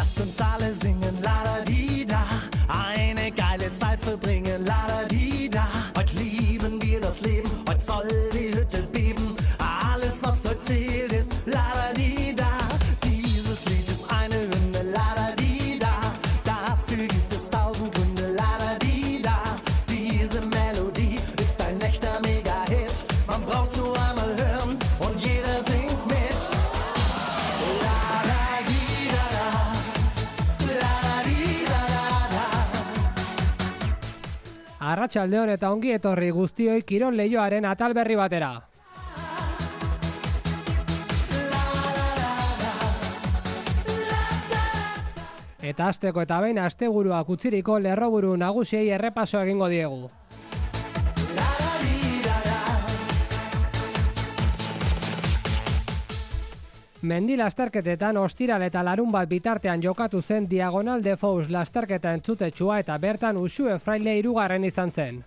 lasst uns alle singen, la-da-di-da. Eine geile Zeit verbringen, la-da-di-da. Heute lieben wir das Leben, heute soll die Hütte beben. Alles, was heute zählt, ist la-da-di-da. Dieses Lied ist eine Hymne, la-da-di-da. Dafür gibt es 1000 Gründe, la-da-di-da. Diese Melodie ist ein echter Mega-Hit. Man braucht's nur einmal hören und jeder singt mit. La-da-di-da-da, la-da-di-da-da-da. Arratsaldeon eta ongi etorri guztioi kirol leioaren atal berri batera. Eta asteko eta behin asteburuak utziriko lerroburu nagusiei errepaso egingo diegu. Mendi lasterketetan ostiral eta larunbat bitartean jokatu zen Diagonal de Fous lasterketa entzutetsua eta bertan Uxue Fraile 3. izan zen.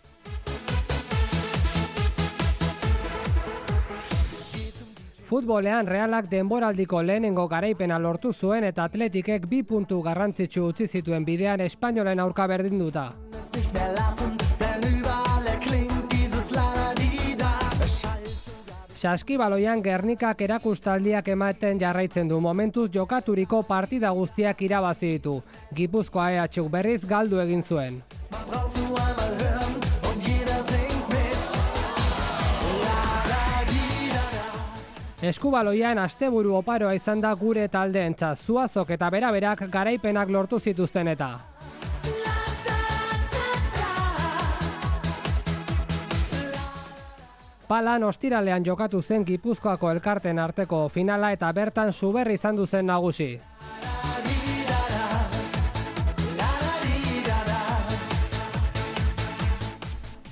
Futbolean Realak denboraldiko lehenengo garaipena lortu zuen eta Atletikek 2 puntu garrantzitsu utzi zituen bidean Espainolen aurka berdinduta. Saskibaloian Gernikak erakustaldiak ematen jarraitzen du, momentuz jokaturiko partida guztiak irabazi ditu. Gipuzkoa EHuk berriz galdu egin zuen. Eskubaloian asteburu oparoa izan da gure taldeentzat, Zuazok eta Beraberak garaipenak lortu zituzten eta. Palan ostiralean jokatu zen Gipuzkoako elkarten arteko finala eta bertan Suberri izan du zen nagusi.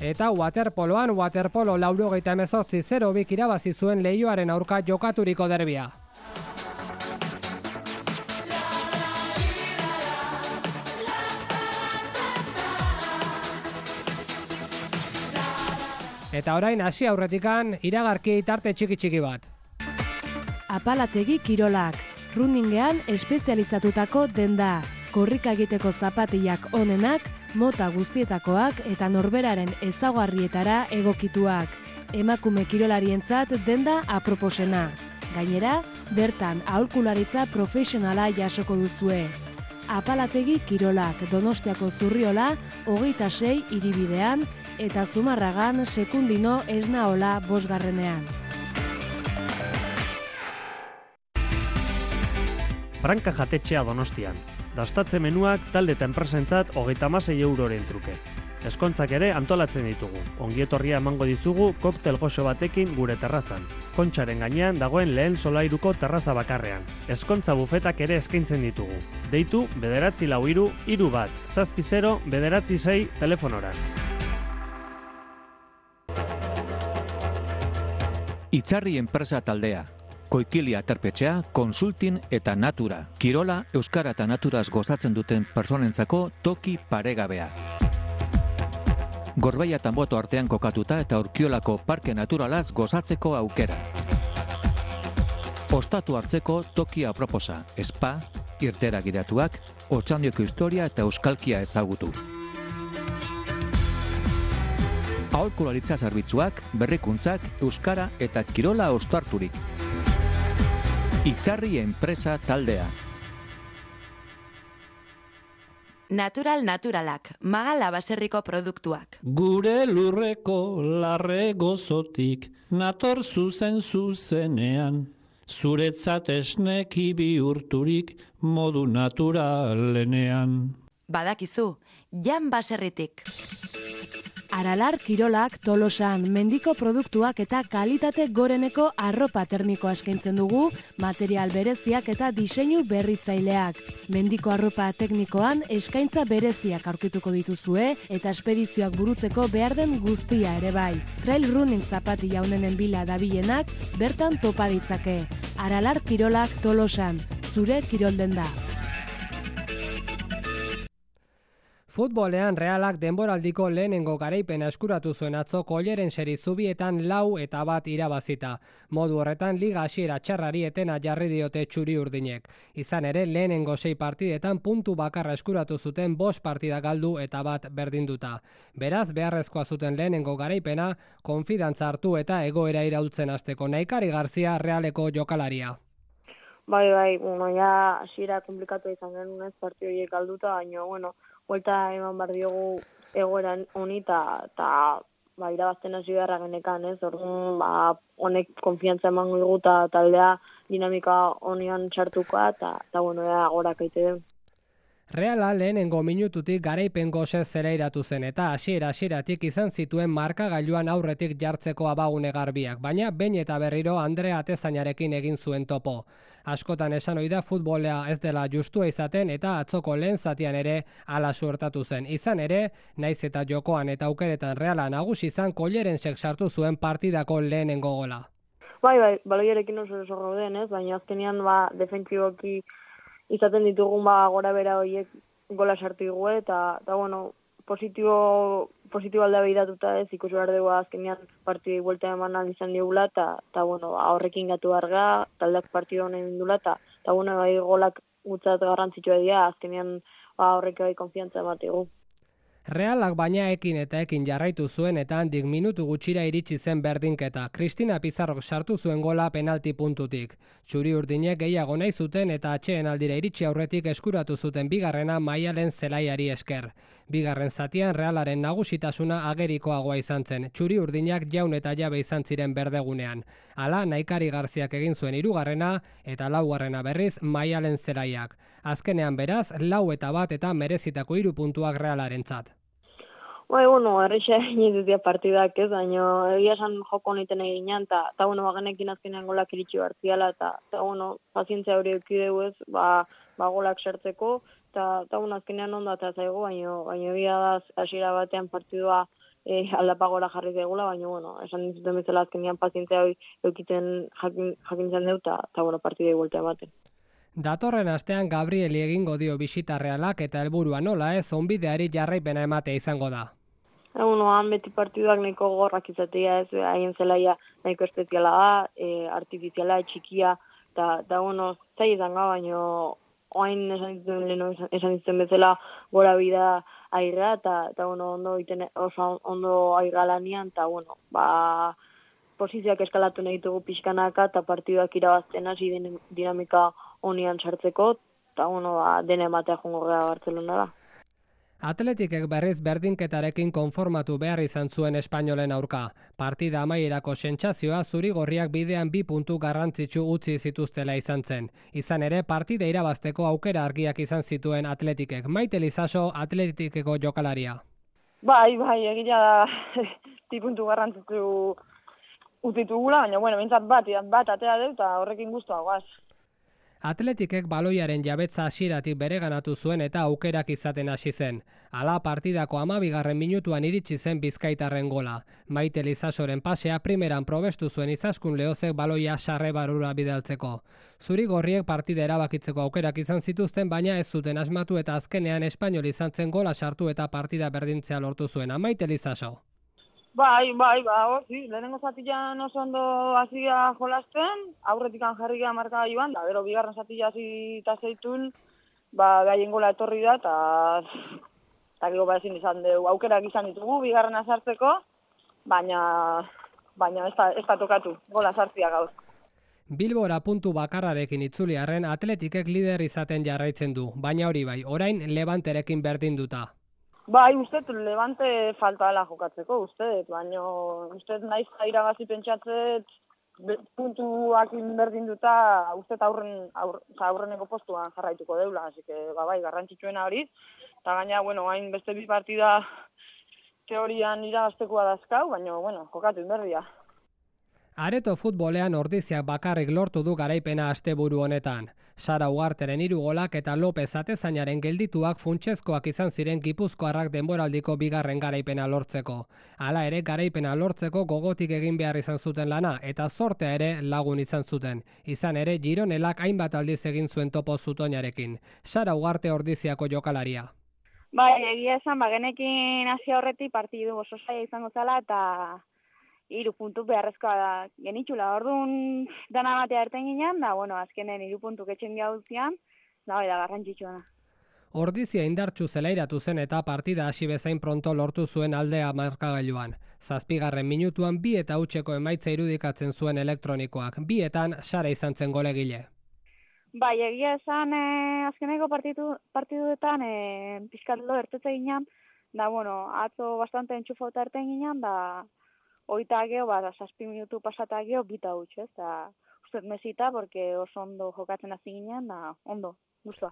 Eta waterpoloan waterpolo 98-0 irabazi zuen Leioaren aurka jokaturiko derbia. Eta orain hasi aurretikan iragarki tarte txiki bat. Apalategi kirolak, runningean espezializatutako denda, korrika egiteko zapatiak onenak, mota guztietakoak eta norberaren ezaugarrietara egokituak. Emakume kirolarientzat denda aproposena. Gainera, bertan aholkularitza profesionala jasoko duzue. Apalategi kirolak, Donostiako Zurriola, 26 hiribidean, eta Zumarragan Sekundino Esnaola 5. Branka jatetxea Donostian. Dastatze menuak talde eta enpresentzat 36 euroren truke. Eskontzak ere antolatzen ditugu. Ongietorria emango dizugu koktel goxo batekin gure terrazan. Kontxaren gainean dagoen lehen solairuko terraza bakarrean. Eskontza bufetak ere eskaintzen ditugu. Deitu 943-760-996 telefonora. Itzarri enpresa taldea. Koikili aterpetxea, konsultin eta natura. Kirola, euskara eta naturaz gozatzen duten personentzako toki paregabea. Gorbeia eta Boto artean kokatuta eta Urkiolako parke naturalaz gozatzeko aukera. Ostatu hartzeko toki aproposa, spa, irtera gidatuak, Otxandioko historia eta euskalkia ezagutu. Aholkularitza zerbitzuak, berrikuntzak, euskara eta kirola ostarturik. Itzarri enpresa taldea. Naturalak, Magala baserriko produktuak. Gure lurreko larre gozotik, nator zuzenean, zuretzat esneki bihurturik modu naturalenean. Badakizu, Jan baserritik. Aralar kirolak Tolosan, mendiko produktuak eta kalitate goreneko arropa termikoa eskaintzen dugu, material bereziak eta diseinu berritzaileak. Mendiko arropa teknikoan eskaintza bereziak aurkituko dituzue eta espedizioak burutzeko behar den guztia ere bai. Trail running zapati jaunenen bila dabilenak bertan topa ditzake. Aralar kirolak Tolosan, zure kirolden da. Futbolean Realak denboraldiko lehenengo garaipena eskuratu zuen atzo Kolleren seri zubietan 4-1 irabazita. Modu horretan liga hasiera txarrari etena jarri diote txuri urdinek. Izan ere lehenengo 6 partidetan puntu bakarra eskuratu zuten 5 partida galdu eta 1 berdinduta. Beraz beharrezkoa zuten lehenengo garaipena konfidantza hartu eta egoera iraultzen hasteko. Naikari Garzia Realeko jokalaria. Bai, ja hasiera komplikatu izan genuen ez partidu horiek galduta, baina buelta eman behar diogu egoeran honi eta irabazten hasi beharra genekan, ez? Orduan, honek konfiantza emango digu eta taldea dinamika honian txartukoa eta gorak aite den. Reala lehenengo minututik garaipen gosez zelairatu zen eta hasieratik izan zituen markagailuan aurretik jartzeko abagune garbiak, baina behin eta berriro Andrea Atezainarekin egin zuen topo. Askotan esan ohi da futbolea ez dela justua izaten eta atzoko lehen zatian ere hala suertatu zen. Izan ere, naiz eta jokoan eta aukeretan Reala nagusi izan Kollerensek sartu zuen partidako lehenengo gola. Bai, baloiarekin oso gauden, ez? Baina azkenean defentsiboki izaten ditugun gora bera horiek gola sartu dugu eta positibo aldea behiratuta ez ikusi behar dugu azkenean partidei buelta eman izan digula eta horrekin gatu arga, taldeak partidu honen indula eta golak gutzat garrantzitsua dira azkenean horrek bai konfiantza ematigu. Realak baina ekin jarraitu zuen eta handik minutu gutxira iritsi zen berdinketa. Cristina Pizarrok sartu zuen gola penalti puntutik. Txuri urdinek gehiago nahi zuten eta atxeen aldira iritsi aurretik eskuratu zuten bigarrena Maialen zelaiari esker. Bigarren zatian Realaren nagusitasuna agerikoagoa izan zen. Txuri urdinak jaun eta jabe izan ziren berdegunean. Hala, Naikari Garziak egin zuen 3. eta 4. berriz Maialen zelaiak. Azkenean beraz, 4-1 eta merezitako 3 puntuak Realarentzat. Erreixa egin dutia partidak ez, baina egia esan joko honiten eginean, eta genekin azkenean golak iritsi bartziala, eta pazientzia hori eukideu ez, golak sartzeko, eta azkenean ondo eta zaigu, baina egia da hasiera batean partidua aldapagora jarri zegula, baina esan dituten bezala azkenean pazientzia hori eukiten jakintzen deu, eta partidei buelta ematen. Datorren astean Gabrieli egingo dio bisita Realak eta helburua nola ez onbideari jarraipena ematea izango da. Han beti partiduak nahiko gorrak izatea ez, haien zelaia nahiko espeziala da, artifiziala, txikia, eta zai izan ga, baina oain esan dituen bezala gora bida airra, eta ondo airra lanian, eta posizioak eskalatu nahi ditugu pixkanaka, eta partiduak irabazten hasi dinamika honian sartzeko, eta dena ematea jongo gara Bartzelona da. Atletikek berriz berdinketarekin konformatu behar izan zuen Espainolen aurka. Partida amaierako sentsazioa zuri-gorriak bidean 2 puntu garrantzitsu utzi zituztela izan zen. Izan ere, partida irabazteko aukera argiak izan zituen Atletikek. Maite Lizaso, Atletikeko jokalaria. Bai, egia da 2 puntu garrantzitsu utitugula, baina, bintzat bat atea dut, eta horrekin guztua guaz. Atletikek baloiaren jabetza hasieratik bereganatu zuen eta aukerak izaten hasi zen. Hala partidako 12. minutuan iritsi zen Bizkaitarren gola. Maite Lizasoren pasea primeran probestu zuen Izaskun Lehozek baloia sarre barrura bidaltzeko. Zuri-gorriek partida erabakitzeko aukerak izan zituzten, baina ez zuten asmatu eta azkenean Espainol izan zen gola sartu eta partida berdintzea lortu zuen. Maite Lizaso. Bai, lehenengo zatian oso ondo hasia jolasten, aurretikan jarri gara markagailuan, da, gero bigarren zatia hasi eta zeitun, gaien gola etorri da, eta gero ezin izan dugu, aukerak izan ditugu, bigarrena sartzeko, baina ez da tokatu, gola sartzia gaur. Bilbora puntu bakarrarekin itzuliarren Atletikek lider izaten jarraitzen du, baina hori bai, orain Levanterekin berdinduta. Bai, uste, Levante falta dela jokatzeko, baina naiz irabazi pentsatzet puntuak berdinduta, aurreneko postuan jarraituko deula, así que bai, garrantzitsuena hori, eta gaina, hain beste 2 partida teorian irabaztekoa dazkau, baina, jokatu inberdia. Areto futbolean Ordiziak bakarrik lortu du garaipena asteburu honetan. Sara Ugarteren 3 golak eta Lopez Atezainaren geldituak funtsezkoak izan ziren Gipuzkoarrak denboraldiko 2. garaipena lortzeko. Hala ere garaipena lortzeko gogotik egin behar izan zuten lana eta zortea ere lagun izan zuten. Izan ere Gironelak hainbat aldiz egin zuen topo Zutoinarekin. Sara Ugarte Ordiziako jokalaria. Bai, egia esan, genekin hasi aurretik partidu oso zaila izango zela eta 3 puntu beharrezkoa da genitxula. Orduan dana batea erten ginen, da, bueno, azkenen 3 puntu etxen gautzian, da, bai, da, garrantzitsua da. Ordizia indartsu zelairatu zen eta partida hasi bezain pronto lortu zuen aldea markagailuan. 7. minutuan 2 eta hutseko emaitza irudikatzen zuen elektronikoak. 2etan Sara izan zen golegile. Bai, egia esan azkeneko partiduetan pixkat lo ertetze ginen, da, bueno, atzo bastante entxufauta erten ginen, da, oita geo, 7 minutu pasata geo, 2 eta huts, ez, da, ustez mesita, porque oso ondo jokatzen hasi ginen, da, ondo, guztua.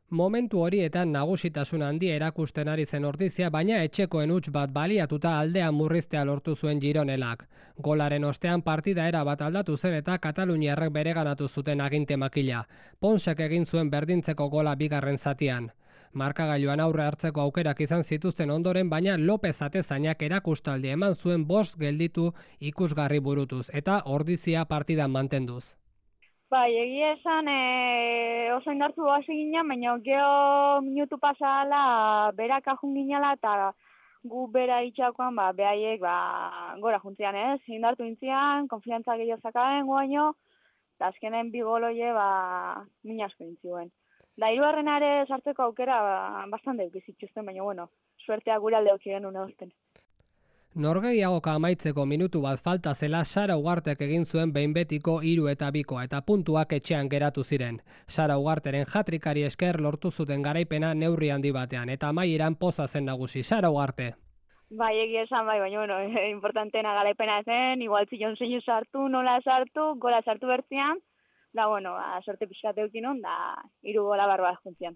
Momentu horietan nagusitasun handia erakusten ari zen Ordizia, baina etxekoen huts bat baliatuta aldea murriztea lortu zuen Gironelak. Golaren ostean partida era bat aldatu zen eta kataluniarrek bereganatu zuten aginte makila. Ponsek egin zuen berdintzeko gola bigarren zatian. Markagailuan aurre hartzeko aukerak izan zituzten ondoren, baina Lopez Atezainak erakustaldi eman zuen 5 gelditu ikusgarri burutuz eta Ordizia partidan mantenduz. Bai, egia esan oso indartu hasi ginen, baina geho minutu pasala berak ajun ginela eta gu bera itxakoan behaiek gora juntzian ez, indartu intzian, konfiantza gehiago zakaben guaino, eta azkenen 2 goloie min asko intzioen. Da, 3. sartzeko aukera bastante eukizituzten, baina bueno, suertea gure alde aukiren une ozten. Norgehiagoka amaitzeko minutu bat falta zela Sara Ugartek egin zuen behin betiko 3 eta 2 eta puntuak etxean geratu ziren. Sara Ugarteren hatrikari esker lortu zuten garaipena neurri handi batean eta amaieran poza zen nagusi. Sara Ugarte. Bai, egia esan bai, baina bueno, importantena garaipena zen, igual zion zein sartu, nola sartu, gola sartu bertzian, da bueno, sorte pixkate eukinon, da 3 gola barba juntzian.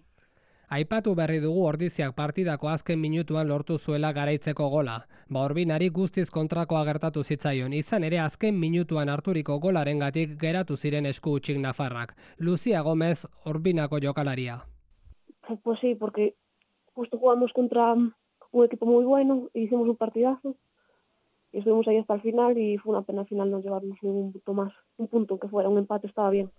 Aipatu berri dugu Ordiziak partidako azken minutuan lortu zuela garaitzeko gola. Orbinari guztiz kontrakoa gertatu zitzaion, izan ere azken minutuan harturiko golarengatik geratu ziren esku hutsik nafarrak. Lucia Gómez, Orbinako jokalaria. Pues sí, porque justo jugamos contra un equipo muy bueno, hicimos un partidazo y estuvimos ahí hasta el final y fue una pena al final no llevarnos ningún punto más. Un punto que fuera un empate estaba bien.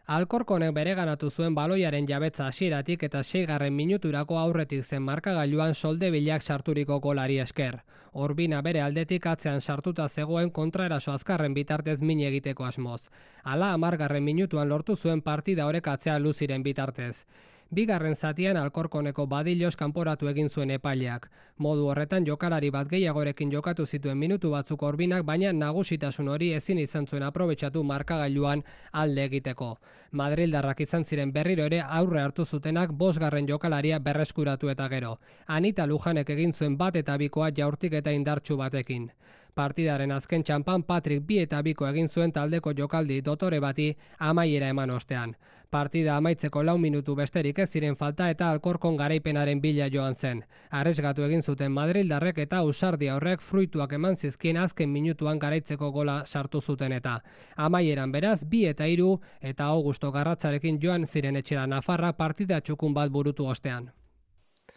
Alkorkonek bereganatu zuen baloiaren jabetza hasieratik eta 6. minuturako aurretik zen markagailuan Soldebilak sarturiko golari esker. Orbina bere aldetik atzean sartuta zegoen kontraeraso azkarren bitartez min egiteko asmoz. Hala 10. minutuan lortu zuen partida orekatzea Luziren bitartez. 2. zatian Alkorkoneko Badilos kanporatu egin zuen epaileak. Modu horretan jokalari bat gehiagorekin jokatu zituen minutu batzuk Orbinak, baina nagusitasun hori ezin izan zuen aprobetxatu markagailuan alde egiteko. Madrildarrak izan ziren berriro ere aurre hartu zutenak 5. jokalaria berreskuratu eta gero. Anita Lujanek egin zuen 1 eta 2 jaurtik eta indartsu batekin. Partidaren azken txanpan Patrick 2 eta 2 egin zuen taldeko jokaldi dotore bati amaiera eman ostean. Partida amaitzeko 4 minutu besterik ez ziren falta eta Alkorkon garaipenaren bila joan zen. Arresgatu egin zuten Madrildarrek eta ausardia horrek fruituak eman zizkien azken minutuan garaitzeko gola sartu zuten eta. Amaieran beraz 2 eta 3 eta Augusto Garratzarekin joan ziren etxera Nafarra partida txukun bat burutu ostean.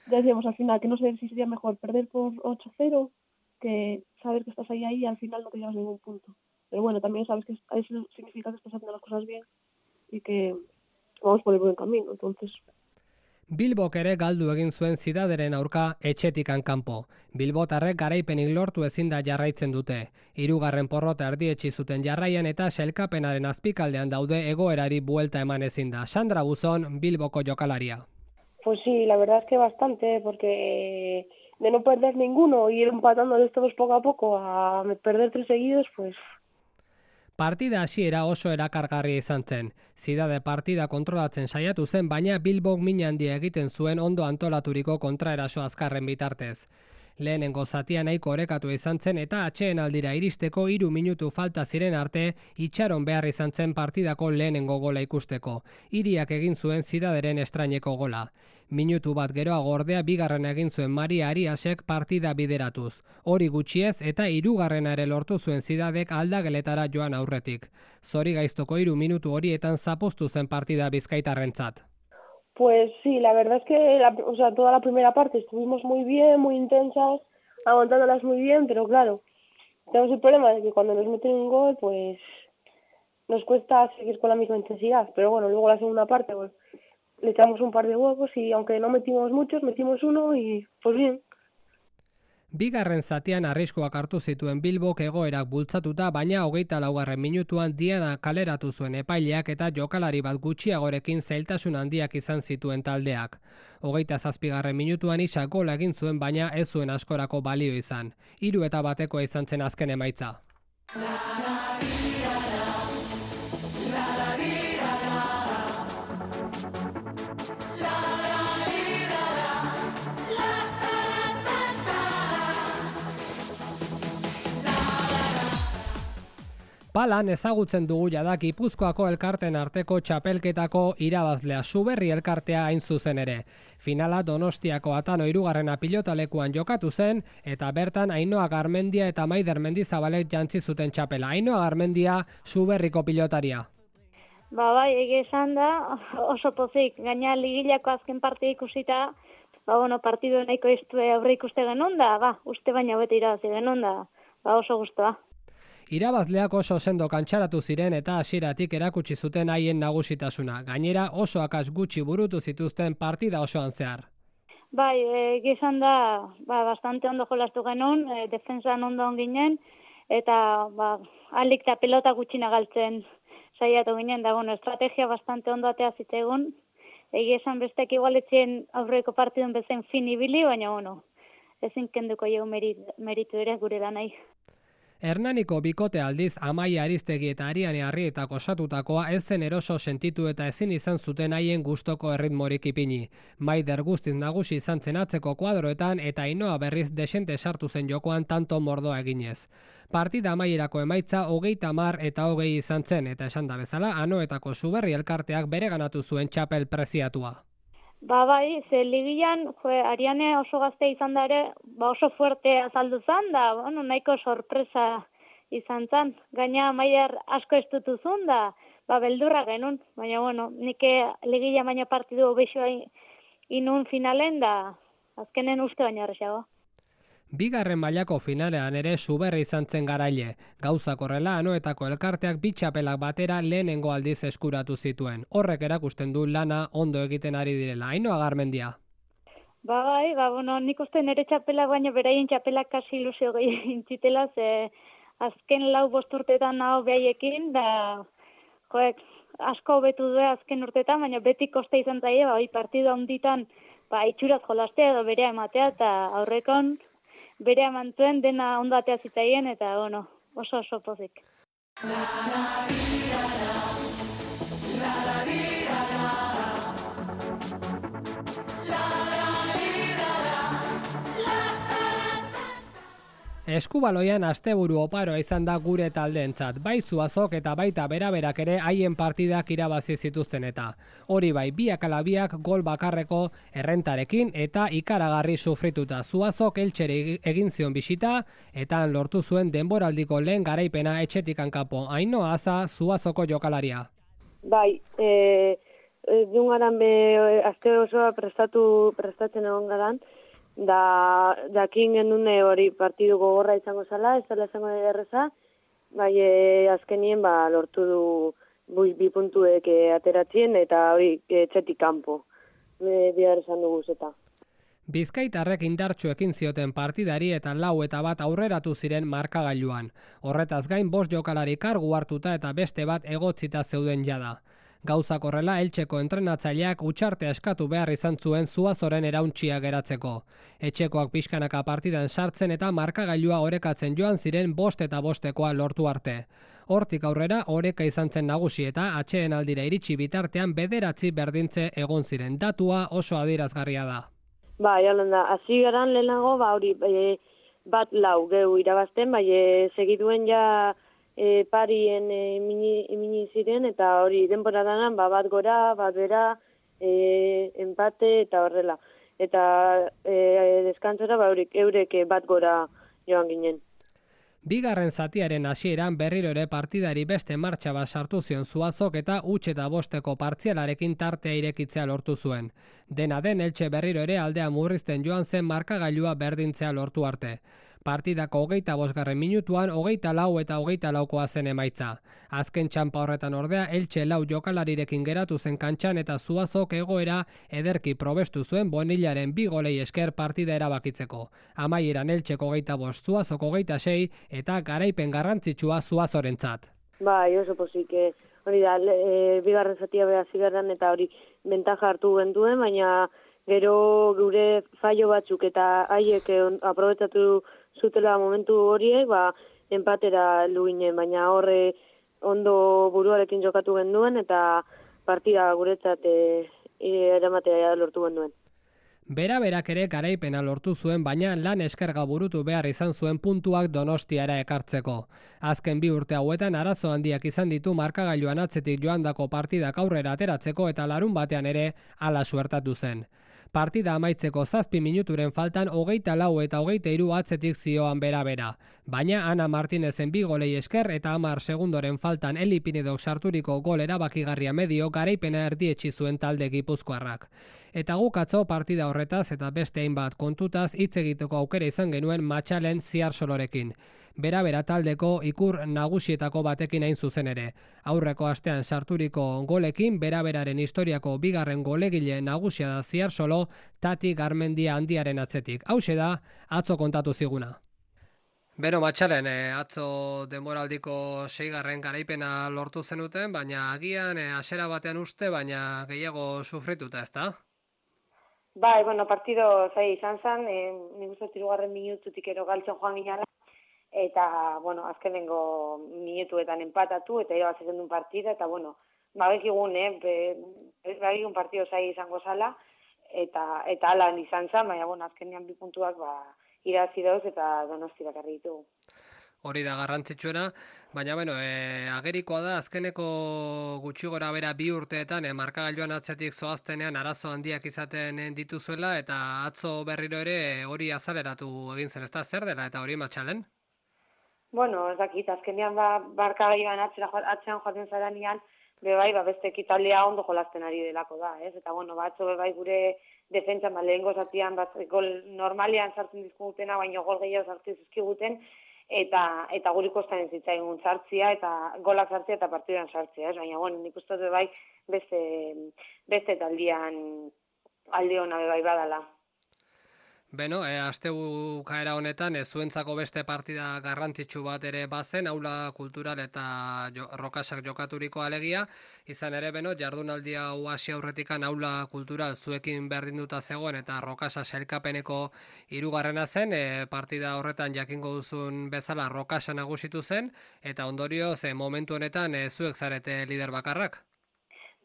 Decíamos al final que no sé si sería mejor perder por 8-0 que saber que estás ahí y al final no te llevas ningún punto. Pero bueno, también sabes que eso significa que estás haciendo las cosas bien y que vamos por el buen camino, entonces. Bilbok ere galdu egin zuen Zidaderen aurka etxetikan kanpo. Bilbotarrek garaipenik lortu ezin da jarraitzen dute. 3. porrota erdietsi zuten jarraian eta sailkapenaren azpikaldean daude egoerari buelta eman ezin da. Sandra Buzon, Bilboko jokalaria. Pues sí, la verdad es que bastante, porque de no perder ninguno y ir empatándoles todos poco a poco a perder 3 seguidos, pues. Partida hasiera oso erakargarria izan zen. Zidade partida kontrolatzen saiatu zen, baina Bilbok min handia egiten zuen ondo antolaturiko kontraeraso azkarren bitartez. Lehenengo zatia nahiko orekatu izan zen eta atxeen aldira iristeko 3 minutu falta ziren arte itxaron behar izan zen partidako lehenengo gola ikusteko. Hiriak egin zuen Zidaderen estraineko gola. Minutu bat geroago ordea 2. egin zuen Maria Ariasek partida bideratuz. Hori gutxiez eta 3. ere lortu zuen Zidadek aldageletara joan aurretik. Zori gaiztoko 3 minutu horietan zapuztu zen partida bizkaitarrentzat. Pues sí, la verdad es que toda la primera parte estuvimos muy bien, muy intensas, aguantándolas muy bien, pero claro, tenemos el problema de que cuando nos meten un gol, pues nos cuesta seguir con la misma intensidad. Pero bueno, luego la segunda parte, pues le echamos un par de huevos y aunque no metimos muchos, metimos uno y pues bien. Bigarren zatian arriskuak hartu zituen Bilbok egoerak bultzatuta, baina 24. minutuan Diana kaleratu zuen epaileak eta jokalari bat gutxiagorekin zailtasun handiak izan zituen taldeak. 27. minutuan Isak gola egin zuen, baina ez zuen askorako balio izan. 3-1 izan zen azken emaitza. Palan ezagutzen dugu jada Gipuzkoako elkarten arteko txapelketako irabazlea, Suberri elkartea hain zuzen ere. Finala Donostiako Atano 3. pilotalekuan jokatu zen, eta bertan Ainhoa Garmendia eta Maider Mendizabalek jantzi zuten txapela. Ainhoa Garmendia, Suberriko pilotaria. Bai, egia esan da, oso pozik, gaina ligilako azken parte ikusita, partidu nahiko aurre ikuste genuen da, uste baina bete irabazi genuen da, oso guztua. Irabazleak oso sendo kantxaratu ziren eta hasieratik erakutsi zuten haien nagusitasuna. Gainera oso akas gutxi burutu zituzten partida osoan zehar. Bai, gizan da, bastante ondo jolastu genuen, defensan ondo ginen, eta alik eta pelota gutxina galtzen saiatu ginen, da estrategia bastante ondo atea zitegun. Egia esan bestek igualetzien aurreko partidun bezen fin ibili, baina ezin kenduko jau meritu ere gure lanai. Hernaniko bikote aldiz Amaia Aristegi eta Ariane Arrietako osatutakoa ez zen eroso sentitu eta ezin izan zuten haien gustoko erritmorik ipini. Maider guztiz nagusi izan zen atzeko kuadroetan eta Ainhoa berriz desente sartu zen jokoan tanto mordoa eginez. Partida amaierako emaitza 30 eta 20 izan zen eta esan da bezala Anoetako Suberri elkarteak bereganatu zuen txapel preziatua. Bai, ze ligian, Ariane oso gazte izan da ere, oso fuerte azaldu zan, da, nahiko sorpresa izan zan. Gaina Maider asko estutu zuen da, beldurra genuen, baina, nik ligia baina partidu bexoa inun finalen da, azkenen uste baina horrexago. Bigarren mailako finalean ere Suberri izan zen garaile. Gauzak horrela Anoetako elkarteak bi txapelak batera lehenengo aldiz eskuratu zituen. Horrek erakusten du lana ondo egiten ari direla. Ainhoa Garmendia. Bai, nik uste nire txapelak baina beraien txapelak kasi ilusio gehiagin zitela, ze azken 4-5 urtetan nago behaiekin, da asko hobetu du azken urtetan, baina beti koste izan zaie, partidu handitan itxuraz jolastea edo berea ematea, eta aurrekon bere amantuen dena ondatea zitaien eta oso pozik. Eskubaloian asteburu oparoa izan da gure taldeentzat, bai Zuazok eta baita beraberak ere haien partidak irabazi zituzten eta. Hori bai, biak ala biak gol bakarreko errentarekin eta ikaragarri sufrituta. Zuazok Eltxeri egin zion bisita eta lortu zuen denboraldiko lehen garaipena etxetik kanpo. Ainhoa Aza, Zuazoko jokalaria. Bai, dungaran aste osoa prestatzen egon garan, da jakin genuen hori partidu gogorra izango zala, ez dela izango erreza, bai azkenien lortu du 2 puntuek ateratzen eta hori etxetik kanpo, bihar esan dugu zeta. Bizkaitarrek indartsu ekin zioten partidari eta 4-1 aurreratu ziren markagailuan. Horretaz gain 5 jokalari kargu hartuta eta beste bat egotzita zeuden jada. Gauzak horrela Eltxeko entrenatzaileak utxartea eskatu behar izan zuen Zuazoren erauntxia geratzeko. Etxekoak pixkanaka partidan sartzen eta markagailua orekatzen joan ziren 5-5 lortu arte. Hortik aurrera oreka izan zen nagusi eta atxeen aldira iritsi bitartean 9 berdintze egon ziren. Datua oso adierazgarria da. Bai, hasi garan lehenago, hori 1-4 geu irabazten, segiduen ja parien imini ziren, eta hori denboradanan bat gora, bat bera, empate eta horrela. Eta deskantzora eurek bat gora joan ginen. Bigarren zatiaren hasieran berriro ere partidari beste martxa bat sartu zion Zuazok eta 8-5 partzialarekin tartea irekitzea lortu zuen. Dena den Eltxe berriro ere aldea murrizten joan zen markagailua berdintzea lortu arte. Partidako 25. minutuan 24 eta 24koa zen emaitza. Azken txanpa horretan ordea Elche 4 jokalarirekin geratu zen kantxan eta Zuazok egoera ederki probestu zuen Bonillaren 2 golei esker partida erabakitzeko. Amaieran Eltxeko 25, Zuazok 26 eta garaipen garrantzitsua Zuazorentzat. Bai, oso pozik, hori da, bigarren zatia beha zigarran eta hori bentaja hartu genduen, baina gero gure fallo batzuk eta haiek aprobetatu zutela momentu horiek, empatera luginen, baina horre ondo buruarekin jokatu genduen eta partida guretzat eramatea lortu genduen. Bera-berak ere garaipena lortu zuen, baina lan eskerga burutu behar izan zuen puntuak Donostiara ekartzeko. Azken 2 urte hauetan arazo handiak izan ditu markagailuan atzetik joandako partidak aurrera ateratzeko eta larun batean ere hala suertatu zen. Partida amaitzeko 7 minuturen faltan 24 eta 23 atzetik zioan bera-bera. Baina Ana Martinezen 2 golei esker eta 10 segundoren faltan Eli Pinedok sarturiko gol erabakigarria medio garaipena erdietsi zuen talde gipuzkoarrak. Eta guk atzo partida horretaz eta beste hainbat kontutaz hitz egiteko aukera izan genuen Matxalen Ziarsolorekin. Bera-bera taldeko ikur nagusietako batekin hain zuzen ere. Aurreko astean sarturiko golekin bera-beraren historiako 2. golegile nagusia da Ziarsolo, Tati Garmendia handiaren atzetik. Hauxe da, atzo kontatu ziguna. Beno, Matxalen, atzo denboraldiko 6. garaipena lortu zenuten, baina agian hasiera batean uste, baina gehiago sufrituta, ezta? Bai, partido zai izan zen, nik uste 3. minututik ero galtzen joan ginara, eta, azkenengo minutuetan empatatu, eta irabazitzen duen partida, eta, bekigun, bekigun partido zai izango zala, eta alan izan zen, baina, azkenean 2 puntuak, irabazi dauz eta Donosti bakarri ditugu. Hori da garrantzitsuena, baina agerikoa da azkeneko gutxi gora bera 2 urteetan markagailuan atzetik zoaztenean arazo handiak izaten dituzuela eta atzo berriro ere hori azaleratu egin zen, ezta zer dela eta hori Matxalen? Ez dakit, azkenean markagailuan atzean joaten zaranean, beste ekitaldea ondo jolasten ari delako da, ez? Eta atzo gure defentsa lehengo zatian gol normalean sartzen dizkigutena, baina gol gehiago sartzen dizkiguten, eta guri kostan zitzaigun sartzia eta golak sartzia eta partiduan sartzia, ez? Baina nik uste dut beste taldean alde hona badala. Beno, astebukaera honetan zuentzako beste partida garrantzitsu bat ere bazen, aula kultural eta rokasak jokaturiko alegia, izan ere jardunaldi hau hasi aurretikan aula kultural zuekin berdinduta zegoen eta rokasa sailkapeneko 3. zen, partida horretan jakingo duzun bezala rokasa nagusitu zen, eta ondorioz momentu honetan zuek zarete lider bakarrak.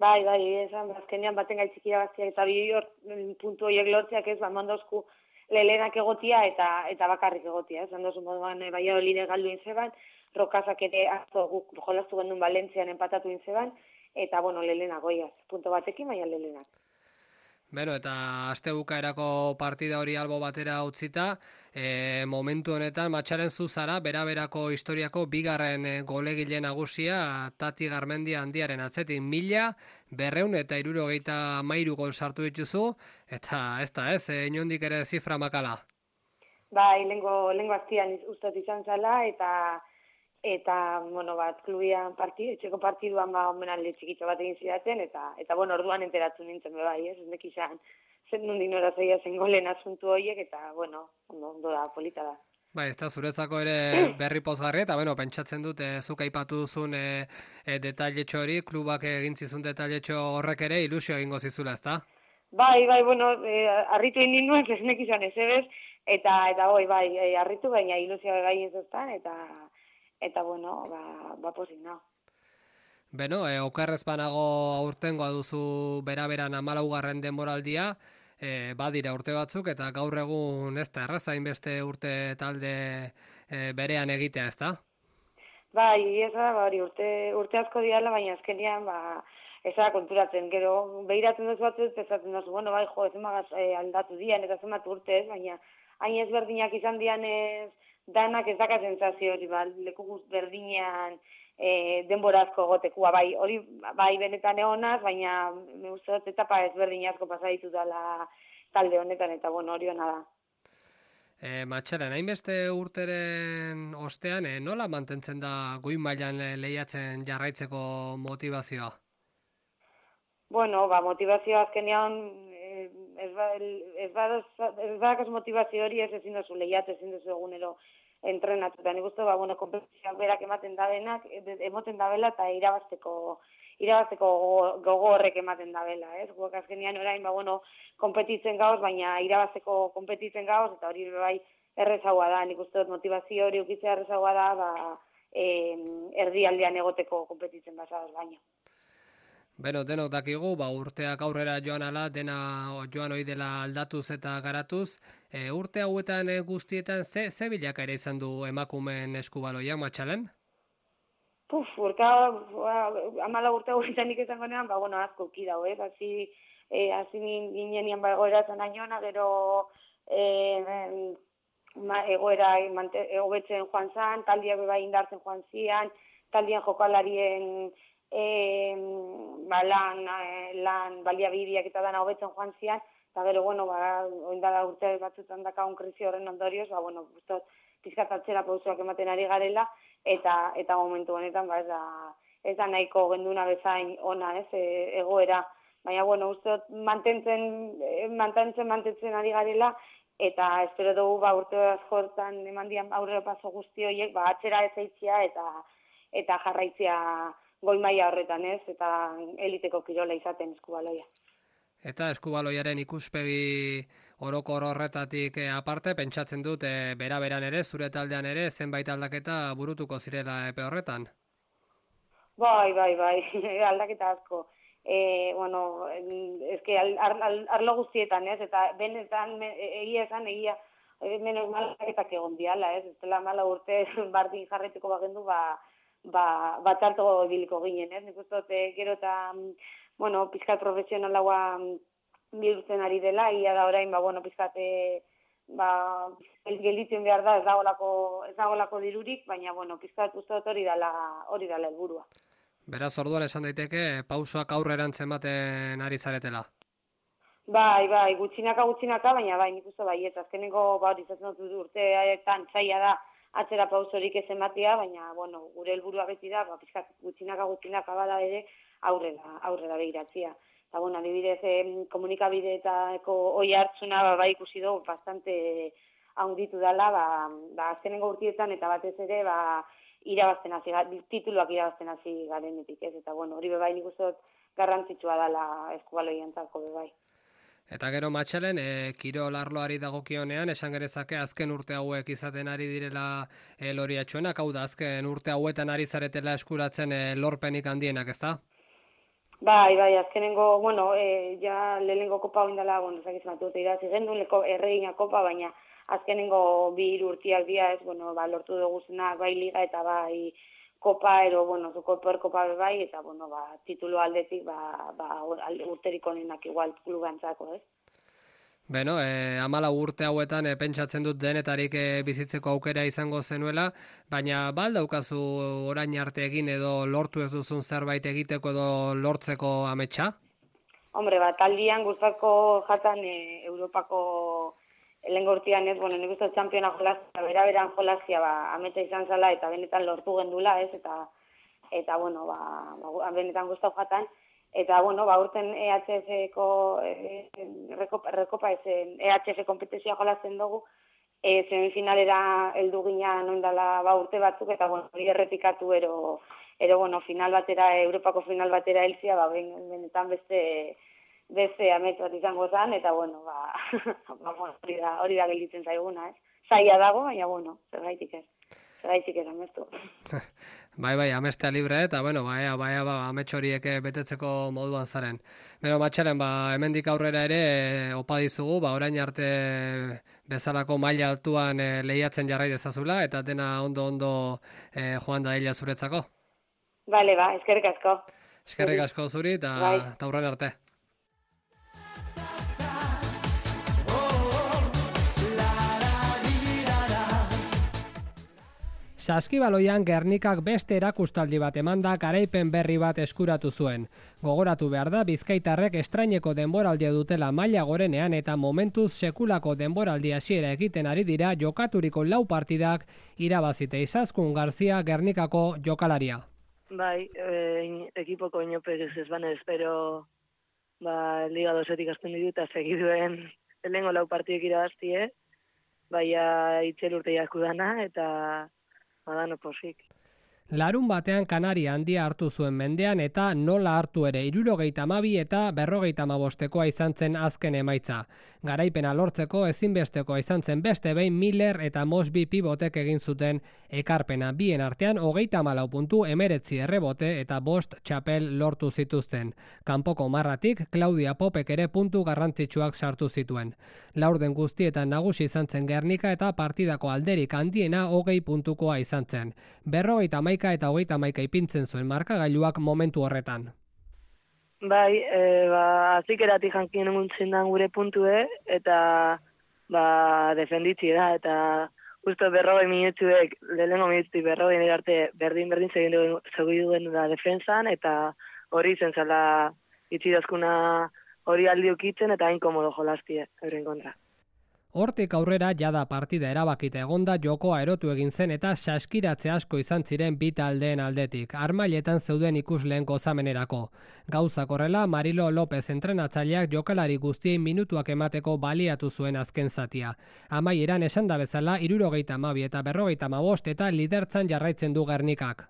Bai, esan, azkenean baten gaitzik irabaztiak eta 2 puntu horiek lortziak ez, mandozku lelenak egotia eta bakarrik egotia. Esan dozu moduan Valladolid galdu inzeban, rokasak ere atzo guk jolastu gendun Valentzian empatatu inzeban, eta lelenak goiaz, punto batekin, baina lelenak. Beno, eta astebukaerako partida hori albo batera utzita, momentu honetan Matxalen zuzara, bera-berako historiako 2. golegile nagusia Tati Garmendia handiaren atzetik 1.273 gol sartu dituzu, eta ez da inondik ere zifra makala. Bai, lehengo aztian ustot izan zala, eta klubian etxeko partiduan omenaldi txikitxo bat egin zidaten, eta orduan enteratu nintzen bai, ez nekizan zen nundin horazoia zen golen asuntu horiek, eta ondo da, polita da. Bai, ez da, zuretzako ere berri pozgarri, eta pentsatzen dut, zuk aipatu duzun detailetxo hori, klubak egintzizun detailetxo horrek ere ilusio egingo zizula, ez da? Bai, harritu egin nuen, ez nekizan ez ebez, eta harritu baina ilusio gai ez eztan, eta pozik nago. Beno, okerrez banago aurtengoa duzu bera-beran 14. denboraldia, badira urte batzuk, eta gaur egun ez da errazain beste urte talde berean egitea, ez da? Bai, ez da, urte asko diala, baina azkenean, ez da konturatzen, gero, behiratzen duzu batzuz, ezatzen duzu, ezemagaz aldatu dian, eta zemat urte ez, baina hain ezberdinak izan dian ez, danak ez daka sensazio hori, leku berdinean denborazko gotekua, hori benetan egonaz, baina me gustot etapa ezberdin asko pasa ditu dela talde honetan, eta hori hona da. Matxalen, hainbeste urteren ostean, nola mantentzen da goi mailan lehiatzen jarraitzeko motivazioa? Bueno, motivazioa azkenean ez badakaz motivazio hori ezin duzu lehiatu, ezin duzu egunero entrenatu. Eta nik uste, konpetizioak berak ematen dabela eta irabazteko gogo horrek ematen dabela, ez? Guak azkenean orain, konpetitzen gauz, baina irabazteko konpetitzen gauz, eta hori bai errezagoa da. Nik uste motivazio hori ukitzea errezagoa da, erdialdean egoteko konpetitzen bazaz baina. Beno, denok dakigu, urteak aurrera joan ala, dena joan hoi dela aldatuz eta garatuz. Urte hauetan guztietan, ze bilakaera izan du emakumeen eskubaloia, Matxalen? Urte 14 urtean izango nean, asko ki dago, ez? Hasi ginen egoeratzen aiona, gero egoera hobetzen joan zan, taldiak bai indartzen joan zian, taldien jokalarien lan baliabideak eta dana hobetzen joan zian, eta gero, oindala urte batzutan dakagun krisi horren ondorioz, guztot pizkatatzera pausoak ematen ari garela, eta momentu honetan, ez da nahiko genduna bezain ona, ez, egoera, baina, ustot mantentzen ari garela, eta espero dugu, urte askotan eman dian aurrera paso guzti horiek, atzera ez eitzia eta jarraitzea goi maila horretan, ez, eta eliteko kirola izaten eskubaloia. Eta eskubaloiaren ikuspegi orokor horretatik aparte, pentsatzen dut, bera-beran ere, zure taldean ere, zenbait aldaketa burutuko zirela epe horretan? Bai, aldaketa asko. Eske arlo guztietan, ez, eta benetan, egia, menos malaketak egon diala, ez, ez dela mala urte bardin jarretiko bagendu, batzarto biliko ginen, ez, nik uste gero eta, pizkat profesionalagoa bihurtzen ari dela, ia da orain, pizkat, gelditzen behar da, ez dagolako dirurik, baina, pizkat uste hori dala helburua. Beraz, orduan esan daiteke, pausoak aurrerantz ematen ari zaretela. Bai, gutxinaka, baina nik uste ez azkeneko hori izatzen dut urteetan zaila da atzera pausorik ez ematea, baina, gure helburua beti da, pizkat gutxinaka bada ere aurrera behiratzea. Eta, adibidez, komunikabideetako oi hartzuna ikusi dugu bastante haunditu dela, azkenengo urtietan eta batez ere, tituluak irabazten hasi garenetik, ez? Eta, hori bebai nik uste garrantzitsua dela eskubaloiantzako bebai. Eta gero Matxalen, kirol arloari dagokionean, esan gerezake azken urte hauek izaten ari direla loriatxuenak, hau da azken urte hauetan ari zaretela eskuratzen lorpenik handienak, ezta? Bai, azkenengo, ja lehenengo kopa oindala, zakizmatu irazi gendun, erregina kopa, baina azkenengo 2 urtiak dira, ez, lortu duguzenak, bai liga eta bai kopa, kopa bai, eta, titulu aldetik, urterik onenak igual klubantzako, ez? Beno, 14 urte hauetan pentsatzen dut denetarik bizitzeko aukera izango zenuela, baina daukazu orain arte egin edo lortu ez duzun zerbait egiteko edo lortzeko ametsa? Hombre, taldian gustako jatan Europako lehengo urtean ez, nik uste txampiona jolazia, bera-beran jolazia ametsa izan zala eta benetan lortu gendula, ez, eta benetan gustau jatan. Eta, urten EHF-ko rekopa ezen EHF kompetizioa jolazen dugu, semifinalera heldu ginen oindala urte batzuk, eta, hori errepikatu ero, final batera, Europako final batera helzia, benetan beste amets bat izango zen, eta, hori da gelditzen zaiguna, ez? Zaila dago, baina, zergaitik ez amestu. Bai, amestea libre, eta, amets horiek betetzeko moduan zaren. Bero, Matxalen, hemendik aurrera ere, opa dizugu, orain arte bezalako maila altuan lehiatzen jarrai dezazula, eta dena ondo joan da hila zuretzako. Bale, eskerrik asko. Eskerrik asko zuri, eta aurren arte. Saskibaloian Gernikak beste erakustaldi bat emanda garaipen berri bat eskuratu zuen. Gogoratu behar da bizkaitarrek estraineko denboraldia dutela maila gorenean eta momentuz sekulako denboraldi hasiera egiten ari dira jokaturiko 4 partidak irabazite. Izaskun Garzia Gernikako jokalaria. Bai, ekipoko inopek ez banez, pero Liga 2-etik azten ditu eta segiduen lehengo 4 partidek irabaztie, baina itxel urte jakudana eta badano posik. Larun batean Kanaria handia hartu zuen mendean eta nola hartu ere 72 eta 55 izan zen azken emaitza. Garaipena lortzeko ezinbestekoa izan zen beste behin Miller eta Mosby pivotek egin zuten ekarpena. Bien artean 34 puntu, 19 errebote eta 5 txapel lortu zituzten. Kanpoko marratik Claudia Popek ere puntu garrantzitsuak sartu zituen. Laurden guztietan nagusi izan zen Gernika eta partidako alderik handiena 20 puntukoa izan zen. 51 eta 31 ipintzen zuen markagailuak momentu horretan. Bai, azikeratik jankien eguntzen da gure puntue, eta defenditzi da, eta justo 40 minutuek, lehenengo minututik 40 arte berdin segiduen da defensan, eta hori izen zala itxidazkuna hori aldiukitzen, eta hain komodo jolastie, euren kontra. Hortik aurrera jada partida erabakita egonda jokoa erotu egin zen eta saskiratze asko izan ziren bi taldeen aldetik, armailetan zeuden ikusleen gozamenerako. Gauzak horrela, Marilo López entrenatzaileak jokalari guztien minutuak emateko baliatu zuen azken zatia. Amaieran esan da bezala 72 eta 55 eta lidertzan jarraitzen du Gernikak.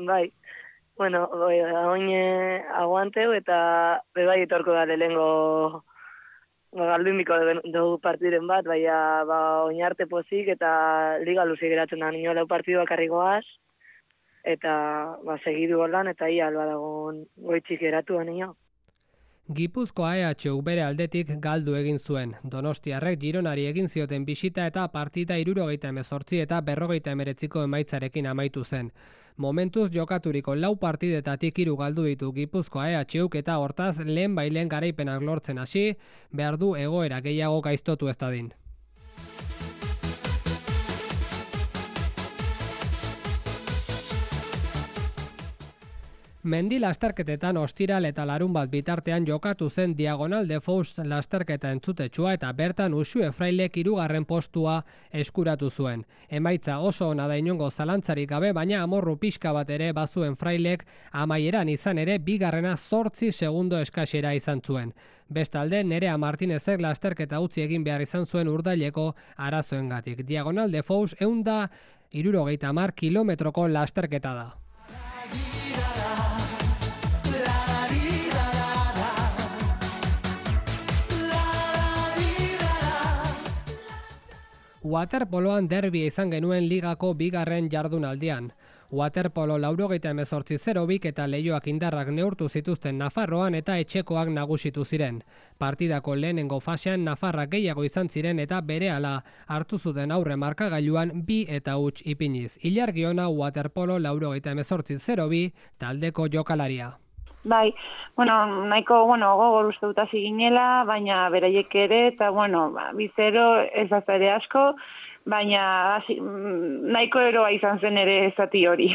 Bai, bueno, oin aguanteu eta bebai etorko da lehengo galdunbiko dugu partiren bat, baina oinarte pozik eta liga luzi geratzen da nio 4 partidu bakarrikoaz, eta segidu holan eta ia alba dagoen goitzik geratu nio. Gipuzkoa EHU bere aldetik galdu egin zuen. Donostiarrek Gironari egin zioten bisita eta partida 78 eta 59 emaitzarekin amaitu zen. Momentuz jokaturiko 4 partidetatik 3 galdu ditu Gipuzkoa EHUk eta hortaz lehen bailen garaipenak lortzen hasi, behar du egoera gehiago gaiztotu ez dadin. Mendi lasterketetan ostiral eta larun bat bitartean jokatu zen Diagonal de Fous lasterketa entzutetsua eta bertan Uxue Frailek 3. postua eskuratu zuen. Emaitza oso ona da inongo zalantzarik gabe, baina amorru pixka bat ere bazuen Frailek amaieran izan ere 2. 8 segundo eskasera izan zuen. Bestalde, Nerea Martinezek lasterketa utzi egin behar izan zuen Urdaileko arazoengatik. Diagonal de Fous 170 kilometroko lasterketa da. Waterpoloan derbia izan genuen ligako 2. jardunaldian. Waterpolo 98-0 eta Leioak indarrak neurtu zituzten Nafarroan eta etxekoak nagusitu ziren. Partidako lehenengo fasean Nafarrak gehiago izan ziren eta berehala hartu zuten aurre markagailuan 2 eta huts ipiniz. Ilargiona Waterpolo 98-0 taldeko jokalaria. Bai, nahiko gogor uste dut hasi ginela, baina beraiek ere, eta bizero ez da ere asko, baina nahiko eroa izan zen ere zati hori.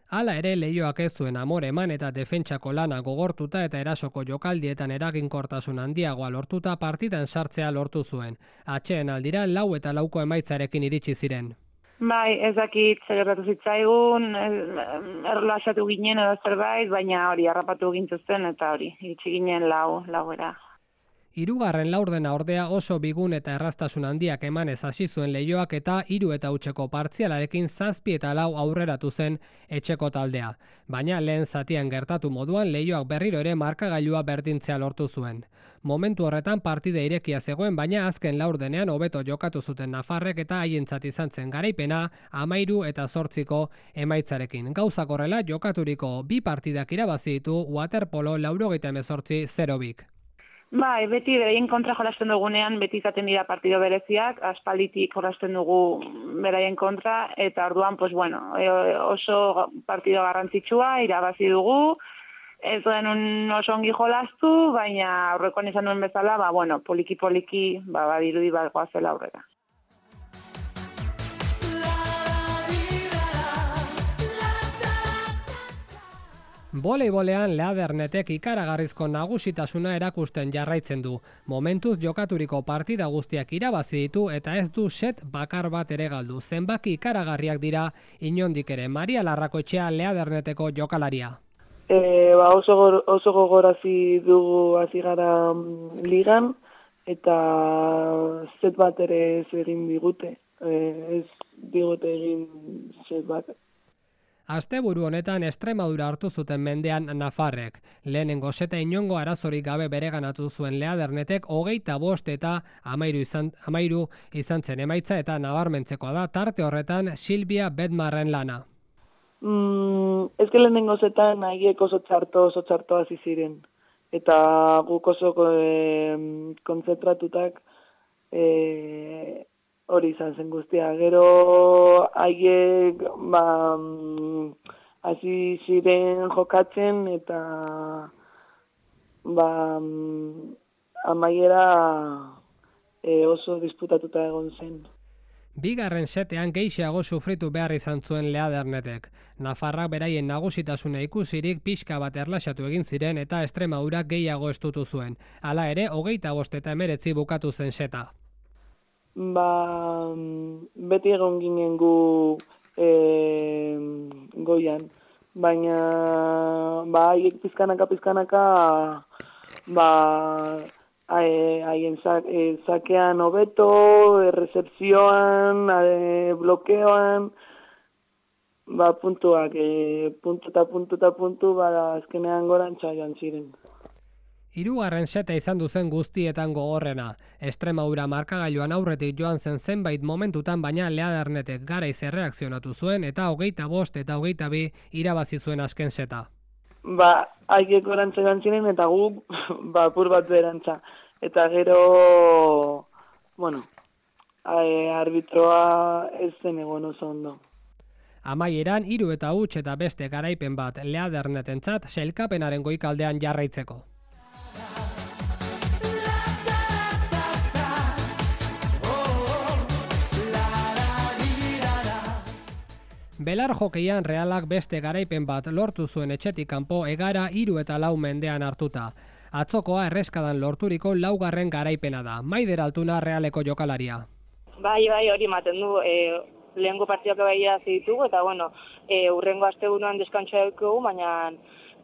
Hala ere Leioak ez zuen amore eman eta defentsako lana gogortuta eta erasoko jokaldietan eraginkortasun handiagoa lortuta partidan sartzea lortu zuen. Atxeen aldira 4 eta 4 emaitzarekin iritsi ziren. Bai, ez dakit zer gertatu zitzaigun, erlasatu ginen edo zerbait, baina hori harrapatu gintuzten eta hori, iritsi ginen 4 Hirugarren laurdena ordea oso bigun eta erraztasun handiak emanez hasi zuen Leioak eta 3 eta hutseko partzialarekin 7 eta 4 aurreratu zen etxeko taldea. Baina lehen zatian gertatu moduan Leioak berriro ere markagailua berdintzea lortu zuen. Momentu horretan partida irekia zegoen, baina azken laurdenean hobeto jokatu zuten Nafarrek eta haientzat izan zen garaipena 13 eta 8 emaitzarekin. Gauzak horrela jokaturiko 2 partidak irabazi ditu Waterpolo 98-0. Bai, beti beraien kontra jolasten dugunean, beti izaten dira partido bereziak, aspalditik jolasten dugu beraien kontra, eta orduan, oso partido garrantzitsua, irabazi dugu, ez duen oso ongi jolastu, baina aurrekoan izan duen bezala, poliki-poliki, badirudi bat goazela aurrera. Voleibolean Leadernetek ikaragarrizko nagusitasuna erakusten jarraitzen du. Momentuz jokaturiko partida guztiak irabazi ditu eta ez du set bakar bat ere galdu. Zenbaki ikaragarriak dira inondik ere. Maria Larrakoetxea Leaderneteko jokalaria. Oso gogorazi dugu hasi gara ligan eta set bat ere ez egin digute. Ez digute egin set bat. Asteburu honetan Extremadura hartu zuten mendean Nafarrek. Lehenengo seta inongo arazorik gabe bereganatu zuen Leadernetek 25 eta 13 izan zen emaitza eta nabarmentzekoa da tarte horretan Silvia Bedmarren lana. Ez que lehenengo zetan haiek oso txarto hasi ziren. Eta guk oso konzentratutak hori izan zen guztia. Gero haiek hasi ziren jokatzen eta amaiera oso disputatuta egon zen. Bigarren setean gehiago sufritu behar izan zuen Leadernetek. Nafarrak beraien nagusitasuna ikusirik pixka bat erlaxatu egin ziren eta Extremadurak gehiago estutu zuen. Hala ere, 25 eta 19 bukatu zen seta. Beti egon ginen gu goian, baina haiek pizkanaka haien sakean hobeto, errezepzioan, blokeoan, puntuak, puntu, azkenean gorantza joan ziren. Hirugarren seta izan duzen guztietan gogorrena. Extremadura markagailuan aurretik joan zen zenbait momentutan, baina Leadernetek garaiz erreakzionatu zuen eta 25 eta 22 irabazi zuen azken seta. Haiek gorantza joan ziren eta gu apur bat berantza. Eta gero, arbitroa ez zen egon oso ondo. Amaieran 3 eta huts eta beste garaipen bat Leadernetentzat sailkapenaren goikaldean jarraitzeko. Belar jokeian Realak beste garaipen bat lortu zuen etxetik kanpo Egara 3 eta 4 mendean hartuta. Atzokoa erreskadan lorturiko 4. garaipena da. Maider Altuna Realeko jokalaria. Bai, hori ematen du. Lehengo partidak baia ditugu eta urrengo asteburuan deskantsua dugu, baina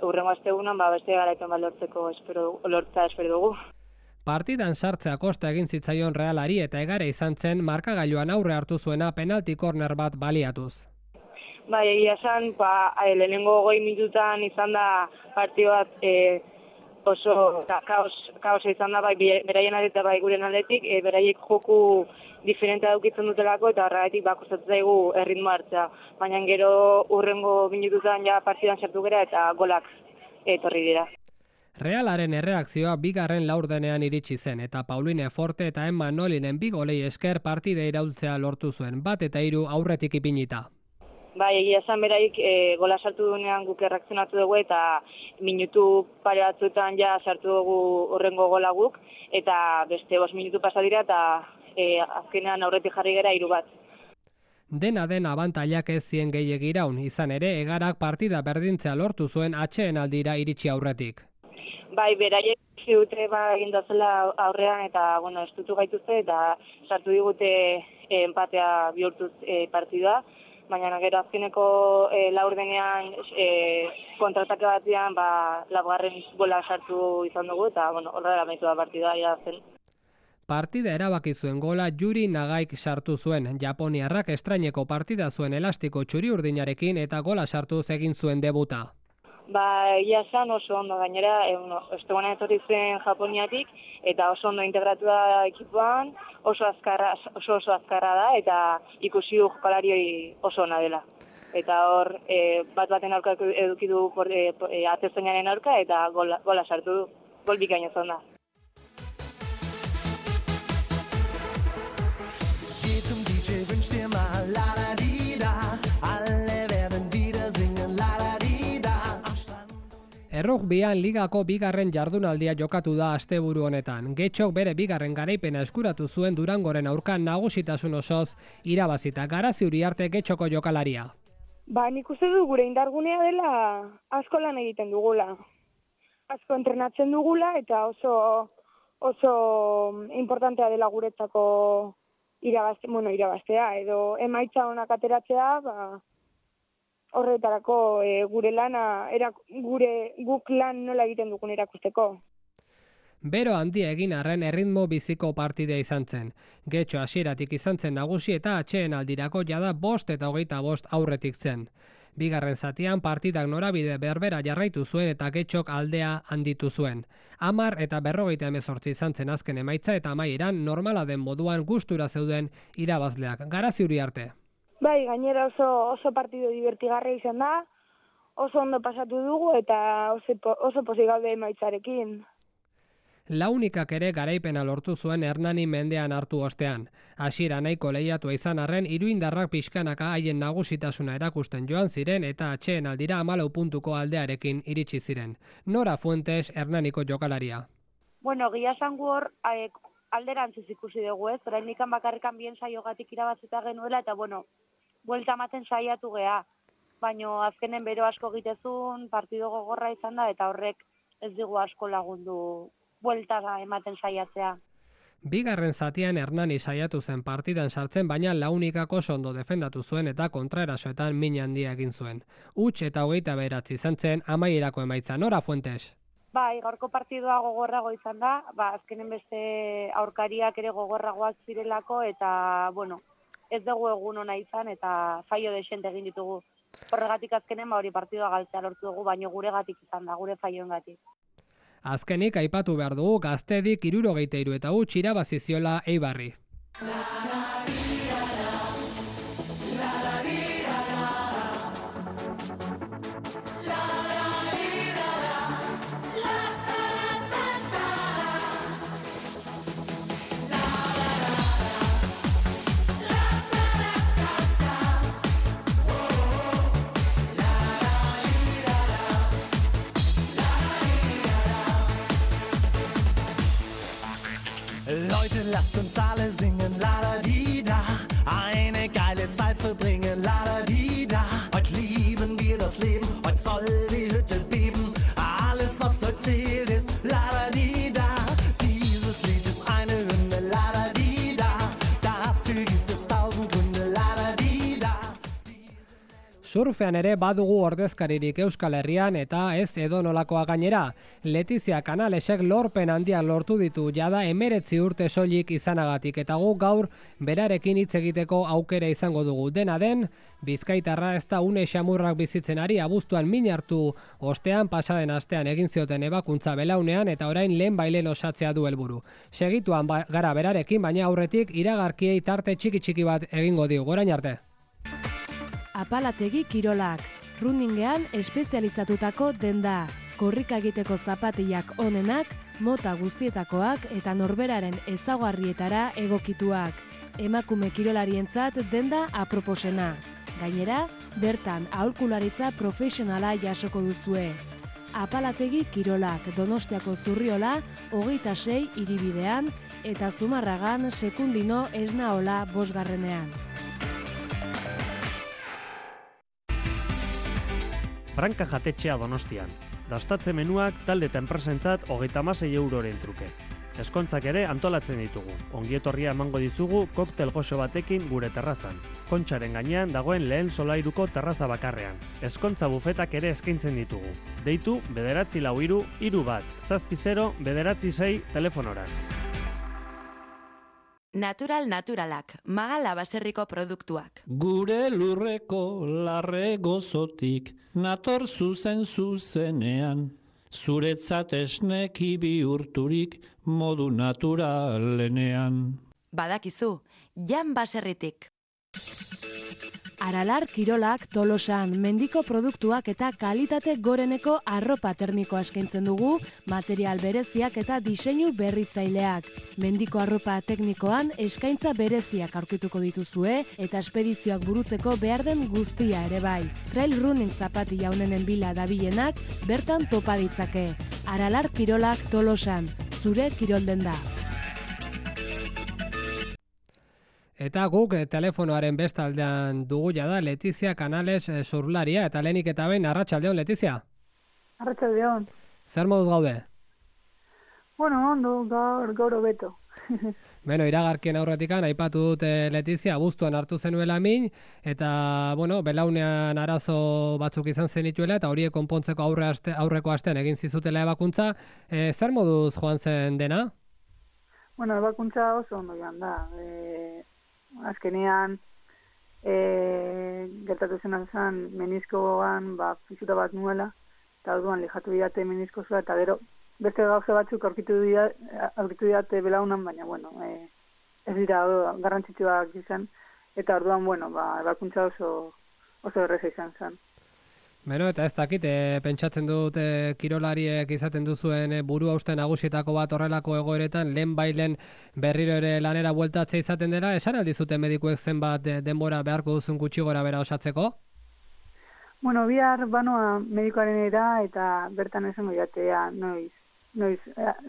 urrengo asteburuan beste garaipen bat lortzeko espero dugu. Partidan sartzea kosta egin zitzaion Realari eta Egara izan zen markagailuan aurre hartu zuena penalti korner bat baliatuz. Bai, egia esan, lehenengo 20 minututan izan da partio bat oso kaosa izan da, bai beraien aldetik eta bai guren aldetik, beraiek joku diferentea daukitzen dutelako eta horregatik kostatzen zaigu erritmo hartzea. Baina gero urrengo minututan partidan sartu gera eta golak etorri dira. Realaren erreakzioa bigarren laurdenean iritsi zen eta Pauline Forte eta Emma Nolinen 2 golei esker partida iraultzea lortu zuen, 1 eta 3 aurretik ipinita. Bai, egia esan beraik gola sartu duenean guk erreakzionatu dugu eta minutu pare batzuetan sartu dugu horrengo gola guk eta beste 5 minutu pasa dira eta azkenean aurretik jarri gera 3 bat. Dena den abantailak ez zien gehiegi iraun, izan ere Egarak partida berdintzea lortu zuen atsedenaldira iritsi aurretik. Bai, beraiek dute egin dazela aurrean eta estutu gaituzte eta sartu digute empatea bihurtuz partida. Baina gero azkeneko laurdenean kontratake batean 4. gola sartu izan dugu eta horrela amaitu da partida zen. Partida erabaki zuen gola Yuri Nagaik sartu zuen. Japoniarrak estraineko partida zuen elastiko txuri-urdinarekin eta gola sartuz egin zuen debuta. Ia esan oso ondo gainera, ostegunean etorri zen Japoniatik eta oso ondo integratu da ekipuan, oso azkarra da eta ikusi du jokalari oso ona dela. Eta hor, baten aurka eduki du atezainaren aurka eta gola sartu du, gol bikaina izan da. Geh zum DJ, wünsch dir mal la la di da, alle werden wieder singen la la di da. Errugbian ligako 2. jardunaldia jokatu da asteburu honetan. Getxok bere 2. garaipena eskuratu zuen Durangoren aurka nagusitasun osoz irabazita. Garazi Uriarte Getxoko jokalaria. Nik uste dut gure indargunea dela asko lan egiten dugula. Asko entrenatzen dugula eta oso importantea dela guretzako irabaztea edo emaitza onak ateratzea, horretarako guk lan nola egiten dugun erakusteko. Bero handia egin arren erritmo biziko partidea izan zen. Getxo hasieratik izan zen nagusi eta atxeen aldirako jada 5 eta 25 aurretik zen. Bigarren zatian partidak norabide berbera jarraitu zuen eta Getxok aldea handitu zuen. 10 eta 58 izan zen azken emaitza eta amaieran normala den moduan gustura zeuden irabazleak. Garazi Uriarte. Bai, gainera oso partido divertigarria izan da, oso ondo pasatu dugu eta oso pozik gaude emaitzarekin. Launikak ere garaipena lortu zuen Hernani mendean hartu ostean. Hasiera nahiko lehiatua izan arren, iruindarrak pixkanaka haien nagusitasuna erakusten joan ziren eta atxeen aldira 14 puntuko aldearekin iritsi ziren. Nora Fuentes, Hernaniko jokalaria. Gila zangu hor alderantziz ikusi dugu ez, oraindikan bakarrikan bien saiogatik irabazita genuela eta buelta ematen saiatu gea. Baina azkenen bero asko egitezun, partido gogorra izan da eta horrek ez digu asko lagundu buelta ematen saiatzea. Bigarren zatian Hernani saiatu zen partidan sartzen, baina Launikak oso ondo defendatu zuen eta kontraerasoetan min handia egin zuen. Huts eta 29 izan zen amaierako emaitza. Nora Fuentes. Bai, gaurko partidoa gogorrago izan da, azkenen beste aurkariak ere gogorragoak zirelako eta, ez dugu egun ona izan eta faio desente egin ditugu. Horregatik azkenen hori partidoa galtzea lortu dugu, baina guregatik izan da, gure faioengatik. Azkenik aipatu behar dugu Gaztedik 73 eta huts irabazi ziola Eibarri. Leute, lasst uns alle singen, la-da-di-da. Eine geile Zeit verbringen, la-da-di-da. Heute lieben wir das Leben, heute soll die Hütte beben. Alles, was heute zählt, ist la-da-di-da. Dieses Lied ist eine Hymne, la-da-di-da. Dafür gibt es 1000 Gründe, la-da-di-da. Surfean ere badugu ordezkaririk Euskal Herrian eta ez edonolakoa gainera. Letizia Canalesek lorpen handia lortu ditu jada 19 urte soilik izanagatik eta gu gaur berarekin hitz egiteko aukera izango dugu. Dena den, Bizkaitarra ez da une xamurrak bizitzen ari, abuztuan min hartu ostean pasaden astean egin zioten ebakuntza belaunean eta orain lehen osatzea du helburu. Segituan gara berarekin, baina aurretik iragarkiei tarte txiki bat egingo dio. Gorain arte. Apalategi kirolak, runningean espezializatutako denda, korrika egiteko zapatillak onenak, mota guztietakoak eta norberaren ezaugarrietara egokituak. Emakume kirolarientzat denda aproposena. Gainera, bertan aholkularitza profesionala jasoko duzue. Apalategi kirolak, Donostiako Zurriola, 26 hiribidean eta Zumarragan Sekundino Esnaola 5. Branka jatetxea Donostian. Dastatze menuak talde eta enpresentzat 36 euroren truke. Eskontzak ere antolatzen ditugu. Ongietorria emango dizugu koktel goxo batekin gure terrazan. Kontxaren gainean dagoen lehen solairuko terraza bakarrean. Eskontza bufetak ere eskaintzen ditugu. Deitu 943 31 906 telefonoran. Naturalak, Magala baserriko produktuak. Gure lurreko larre gozotik, nator zuzenean, zuretzat esneki bihurturik modu naturalenean. Badakizu, Jan baserritik. Aralar kirolak Tolosan mendiko produktuak eta kalitate goreneko arropa termikoa eskaintzen dugu, material bereziak eta diseinu berritzaileak. Mendiko arropa teknikoan eskaintza bereziak aurkituko dituzue eta espedizioak burutzeko behar den guztia ere bai. Trail running zapatilla honenen bila dabilenak bertan topa ditzake. Aralar kirolak Tolosan, zure kirolden da. Eta guk telefonoaren bestaldean dugu jada Letizia Canales surflaria, eta lehenik eta behin arratsaldeon, Letizia. Arratsaldeon. Zer moduz gaude? Bueno, ondo, gaur hobeto. Beno, iragarkien aurretikan aipatu dute Letizia abuztuan hartu zenuela min, eta belaunean arazo batzuk izan zenituela, eta horiek konpontzeko aurreko astean egin zizutela ebakuntza. Zer moduz joan zen dena? Bueno, ebakuntza oso ondo joan da. Azkenean gertatu zen meniskoan fisura bat nuela, eta orduan lijatu didate meniskoa, eta gero beste gauza batzuk aurkitu didate belaunan, baina, bueno, ez dira garrantzitsuak izan, eta orduan, bueno, ebakuntza oso erreza izan zen. Beno, eta ez dakit, pentsatzen dut kirolariek izaten duzuen buru hauste nagusietako bat horrelako egoeretan, lehen bailen berriro ere lanera bueltatzea izaten dela, esan aldizute medikuek zenbat denbora beharko duzun gutxi gora bera osatzeko? Bueno, bihar banoa medikoaren era, eta bertan esango jatea noiz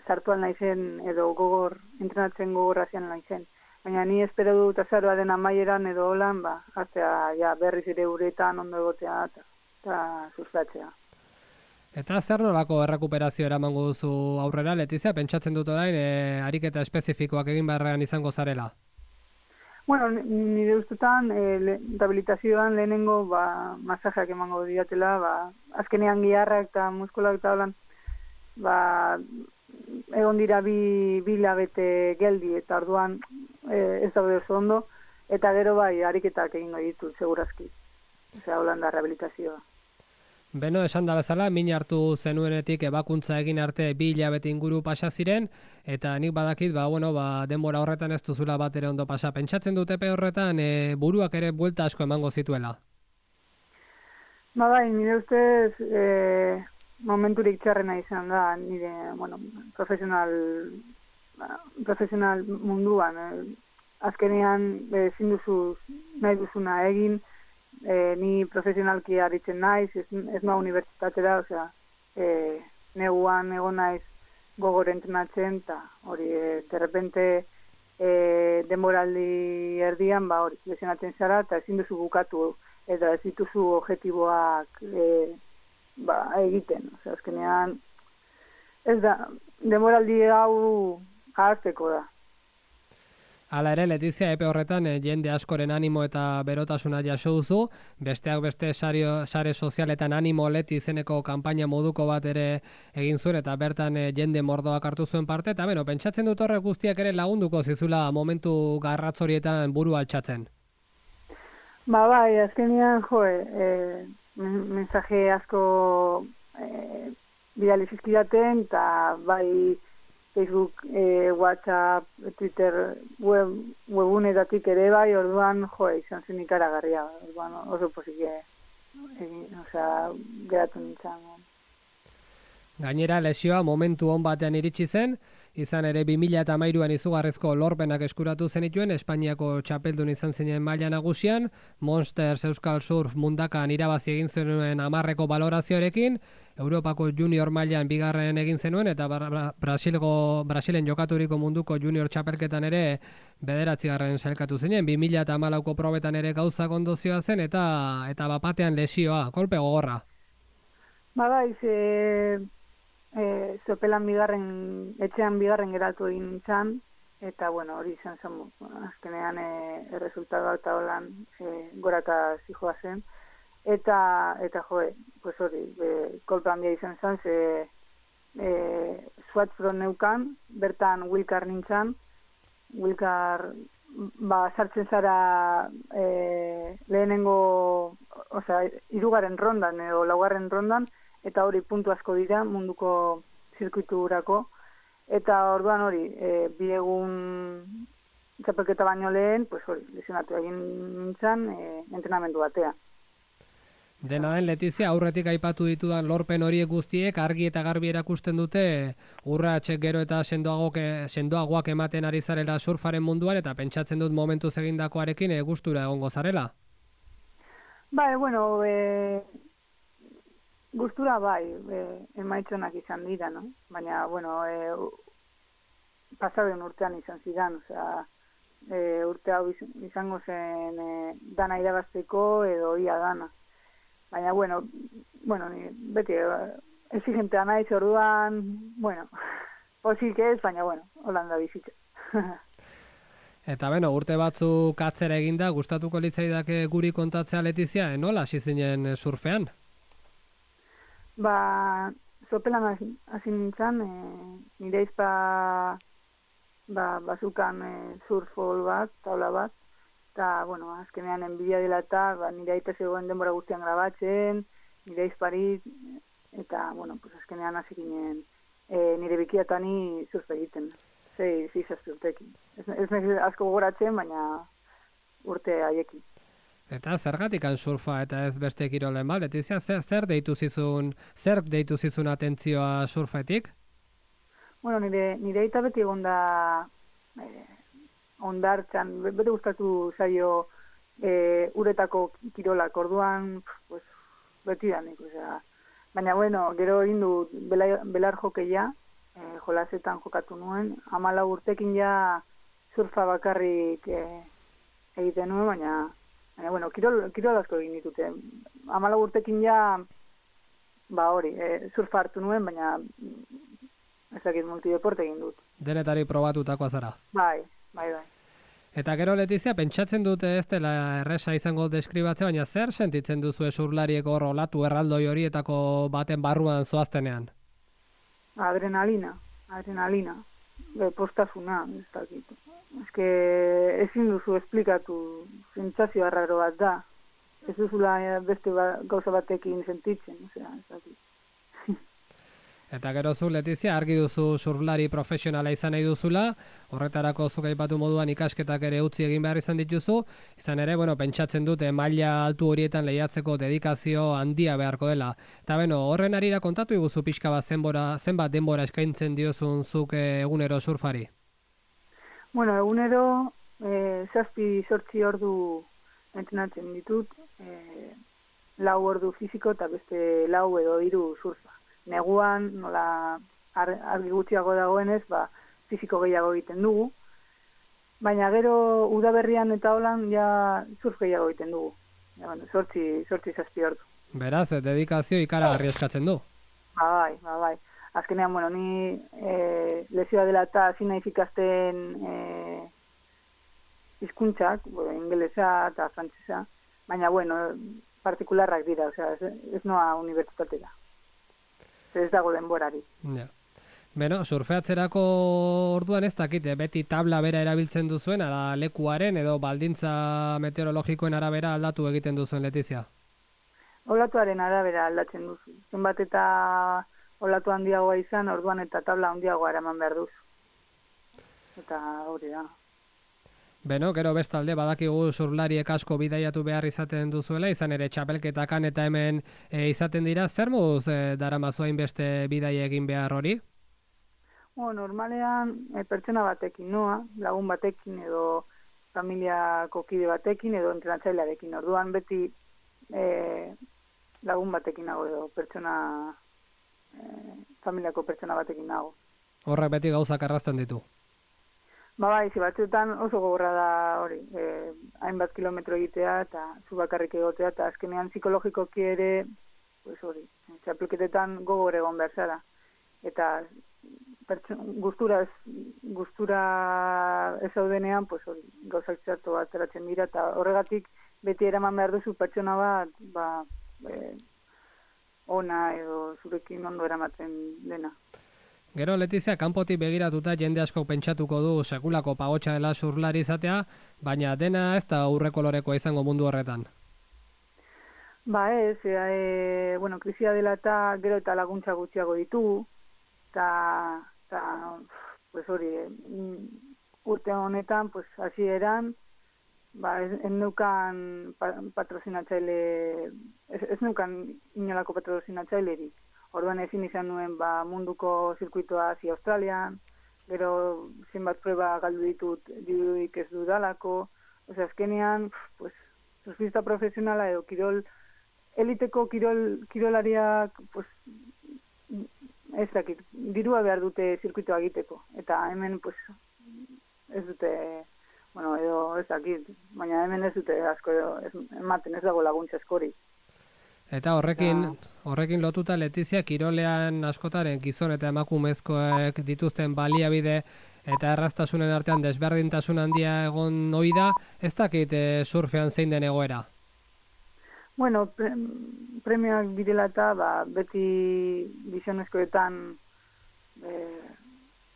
sartu naizen edo entrenatzen gogorra zian naizen. Baina ni espero dut azaroaren amaieran edo holan, hartzea berriz ere uretan ondo egotea eta sustatzea. Eta zer nolako errekuperazio eramango duzu aurrera, Letizia? Pentsatzen dut orain ariketa espezifikoak egin beharrean izango zarela? Bueno, nire ustetan rehabilitazioan lehenengo masajeak emango diatela, azkenean giharrak eta muskulak eta holan, egon dira bi hilabete geldi, eta orduan ez daude oso ondo, eta gero ariketak egingo ditut, segurazki. Osea, holan da rehabilitazioa. Beno, esan da bezala, min hartu zenuenetik ebakuntza egin arte 2 hilabete inguru pasa ziren, eta nik badakit, denbora horretan ez duzula bat ere ondo pasa. Pentsatzen dut epe horretan buruak ere buelta asko emango zituela? Nire ustez momenturik txarrena izan da, nire, profesional munduan. Azkenean ezin duzu nahi duzuna egin, ni profesionalki aritzen naiz, ez noa unibertsitatera, osea, neguan egon naiz gogor entrenatzen, eta hori, derrepente denboraldi erdian, lesionatzen zara, eta ezin duzu bukatu, eta ez dituzu objektiboak egiten, osea, azkenean, ez da, denboraldi hau ahazteko da. Hala ere, Letizia, epe horretan jende askoren animo eta berotasuna jaso duzu, besteak beste sare sozialetan animo Leti izeneko kanpaina moduko bat ere egin zuen, eta bertan jende mordoak hartu zuen parte, eta pentsatzen dut horrek guztiak ere lagunduko zizula momentu garratzorietan buru altxatzen. Azkenean, mensaje asko bidali zizkidaten, eta Facebook, WhatsApp, Twitter, webunetatik ere orduan, izan zen ikaragarria, oso posike, geratu nintzen. Gainera, lesioa momentu on batean iritsi zen, izan ere 2013an izugarrizko lorpenak eskuratu zenituen, Espainiako txapeldun izan zinen maila nagusian, Monsters Euskal Surf mundakan irabazi egin zenuen 10 balorazioarekin, Europako junior mailan 2 egin zenuen, eta Brasilen jokaturiko munduko junior txapelketan ere 9. sailkatu zinen, 2014ko probetan ere gauzak ondo zioa zen, eta bapatean lesioa, kolpe gogorra. Zopelan etxean 2. geratu egin nintzen, eta hori izan zen, azkenean erresultatu eta holan goraka zijoa zen, eta hori, kolpe handia izan zen, Swatfron neukan, bertan Wilkar nintzen, Wilkar sartzen zara lehenengo, 3. rondan edo 4. rondan, eta hori puntu asko dira munduko zirkuiturako, eta orduan hori, 2 egun txapelketa baino lehen, lesionatu egin nintzen entrenamendu batea. Dena den, Letizia, aurretik aipatu ditudan lorpen horiek guztiek argi eta garbi erakusten dute urratsek gero eta sendoagoak ematen ari zarela surfaren munduan, eta pentsatzen dut momentuz egindakoarekin gustura egongo zarela. Gustura emaitzonak izan dira, no? Baina, pasaden urtean izan zidan, urte hau izango zen dana irabazteko edo ia dana. Baina, bueno, ni beti exigentea naiz orduan, bueno, pozik ez, baina, bueno, Holanda bizitza. Eta urte batzuk atzera eginda, gustatuko litzaidake guri kontatzea Letizia, nola hasi zinen surfean? Sopelan hasi nintzen, nire izpa bazukan surfol bat, taula bat, eta, bueno, azkenean enbidia dela eta nire aita zegoen denbora guztian grabatzen, nire izparit, eta, bueno, pues azkenean hasi ginen nire bikiatani surfe egiten. Zizazpi urtekin. Ez nahi asko gogoratzen, baina urte haiekin. Eta zergatik surfa eta ez beste kirolen bat? Letizia, zer deitu zizun atentzioa surfetik? Bueno, nire aita beti egon da ondartzan, bete gustatu zaio uretako kirolak, orduan pues, beti danik. Baina, bueno, gero egin du belar jokeia, jolasetan jokatu nuen, 14 urtekin ja surfa bakarrik egiten nuen, baina bueno, kirol asko egin ditute. 14 urtekin ja, surfa hartu nuen, baina ezakit multideporte egin dut. Denetari probatutakoa zara? Bai. Eta gero Letizia, pentsatzen dute ez dela erresa izango deskribatzea, baina zer sentitzen duzu esurlariek hor olatu erraldoi horietako baten barruan zoaztenean? Adrenalina, postasuna, ez dakit. Ez ezin duzu esplikatu, sentsazio arraro bat da. Ez duzula beste gauza batekin sentitzen, ez dakit. Eta gero zu, Letizia, argi duzu surflari profesionala izan nahi duzula, horretarako zuk aipatu moduan ikasketak ere utzi egin behar izan dituzu, izan ere, pentsatzen dute maila altu horietan lehiatzeko dedikazio handia beharko dela. Eta horren arira kontatu iguzu pixka bat zenbat denbora eskaintzen diozun zuk egunero surfari? Bueno, egunero 7-8 ordu entrenatzen ditut, 4 ordu fisiko eta beste 4 edo 3 surfa. Neguan, nola argi gutxiago dagoenez, fisiko gehiago egiten dugu. Baina gero udaberrian eta holan ja surf gehiago egiten dugu. 8-7 ordu. Beraz, dedikazio ikaragarri eskatzen du. Bai. Azkenean, ni lesioa dela eta hasi naiz ikasten hizkuntzak, ingelesa eta frantsesa, baina, partikularrak dira, ez noa unibertsitatera. Ez dago denborari. Ja. Surfeatzerako orduan ez dakite, beti tabla bera erabiltzen duzuen, ala lekuaren edo baldintza meteorologikoen arabera aldatu egiten duzuen, Letizia? Olatuaren arabera aldatzen duzu. Zenbat eta olatu handiagoa izan, orduan eta tabla handiagoa eraman behar duzu. Eta hori da. Gero bestalde badakigu surflariek asko bidaiatu behar izaten duzuela, izan ere txapelketakan eta hemen izaten dira, zer moduz daramazu hainbeste bidaia egin behar hori? Normalean pertsona batekin noa, lagun batekin edo familiako kide batekin edo entrenatzailearekin. Orduan beti lagun batekin nago edo familiako pertsona batekin nago. Horrek beti gauzak arrazten ditu? Batzuetan oso gogorra da hori, hainbat kilometro egitea eta zu bakarrik egotea, eta azkenean psikologikoki ere, txapelketetan gogor egon behar zara. Eta gustura ez zaudenean, gauzak txarto bat ateratzen dira, eta horregatik beti eraman behar duzu pertsona bat, ona edo zurekin ondo eramaten dena. Gero, Letizia, kanpotik begiratuta jende asko pentsatuko du sekulako pagotxa dela surflari izatea, baina dena ez da aurreko lorekoa izango mundu horretan. Ez, krisia dela eta gero eta laguntza gutxiago ditugu, eta urte honetan, hasieran, ez neukan patrozinatzaile, ez neukan inolako patrozinatzailerik. Orduan ezin izan nuen munduko zirkuitoa hasi Australian, gero zenbat proba galdu ditut dirudik ez dudalako, azkenean, surfista profesionala edo eliteko kirolariak, ez dakit, dirua behar dute zirkuitoa egiteko, eta hemen ez dute, edo ez dakit, baina hemen ez dute asko ematen, ez dago laguntza askorik. Eta horrekin lotuta Letizia kirolean askotaren gizon eta emakumezkoek dituzten baliabide eta erraztasunen artean desberdintasun handia egon ohi da, ez dakit surfean zein den egoera? Bueno, premioak direla eta beti gizonezkoetan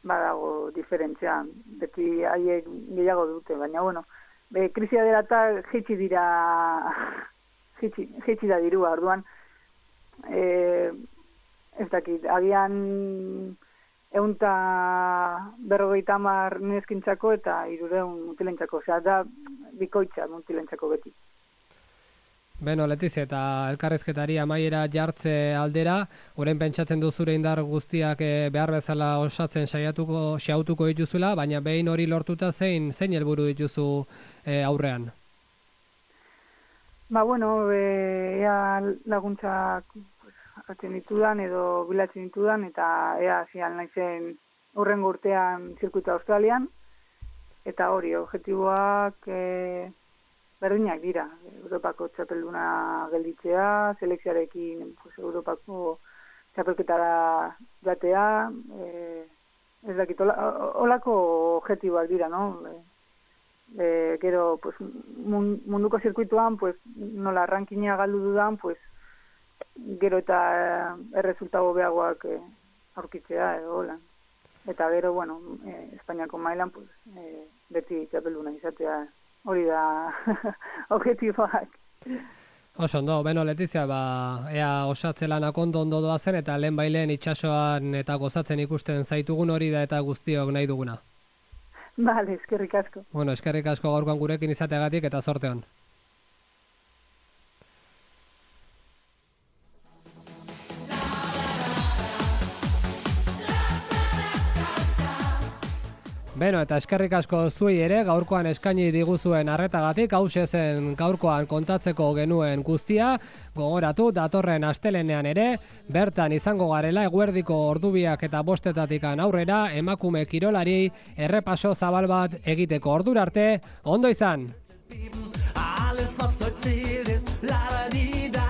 badago diferentzia, beti haiek gehiago dute, baina bueno, krisia dela eta jaitsi da dirua, orduan, ez dakit, agian 150 neskintzako eta 300 mutilentzako, osea, da bikoitza mutilentzako beti. Beno, Letizia, eta elkarrezketari amaiera jartze aldera, orain pentsatzen du zure indar guztiak behar bezala osatzen xautuko dituzula, baina behin hori lortuta zein helburu dituzu aurrean? Bueno, ea laguntzak hartzen ditudan edo bilatzen ditudan, eta ea zian naizen hurrengo urtean zirkuita Australian, eta hori, objektiboak berdinak dira. Europako txapelduna gelditzea, selekzioarekin Europako txapelketara jatea, ez dakit, olako objektiboak dira, no? Gero, pues, munduko zirkuituan, pues, nola rankina galdu dudan, pues, gero eta erresultago beagoak aurkitzea, hola. Eta gero, bueno, Espainiako mailan, pues, beti txapelduna izatea, hori da objektiboak. Oso ondo, beno, Letizia, ea osatzelan ondo doazen eta lehen bailen itsasoan eta gozatzen ikusten zaitugun hori da eta guztiok nahi duguna. Bale, eskerrik asko. Bueno, eskerrik asko gaurkoan gurekin izateagatik eta zorte on. Beno, eta eskerrik asko zuei ere gaurkoan eskaini diguzuen arretagatik, hause zen gaurkoan kontatzeko genuen guztia, gogoratu datorren astelenean ere, bertan izango garela eguerdiko ordubiak eta 5:00 aurrera emakume kirolari errepaso zabal bat egiteko. Ordura arte, ondo izan! Alles was erzählt ist, la-da-di-da.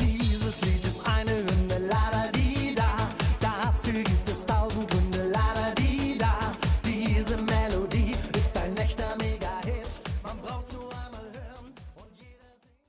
Dieses Lied ist eine Hymne, la-da-di-da. Dafür gibt es 1000 Gründe.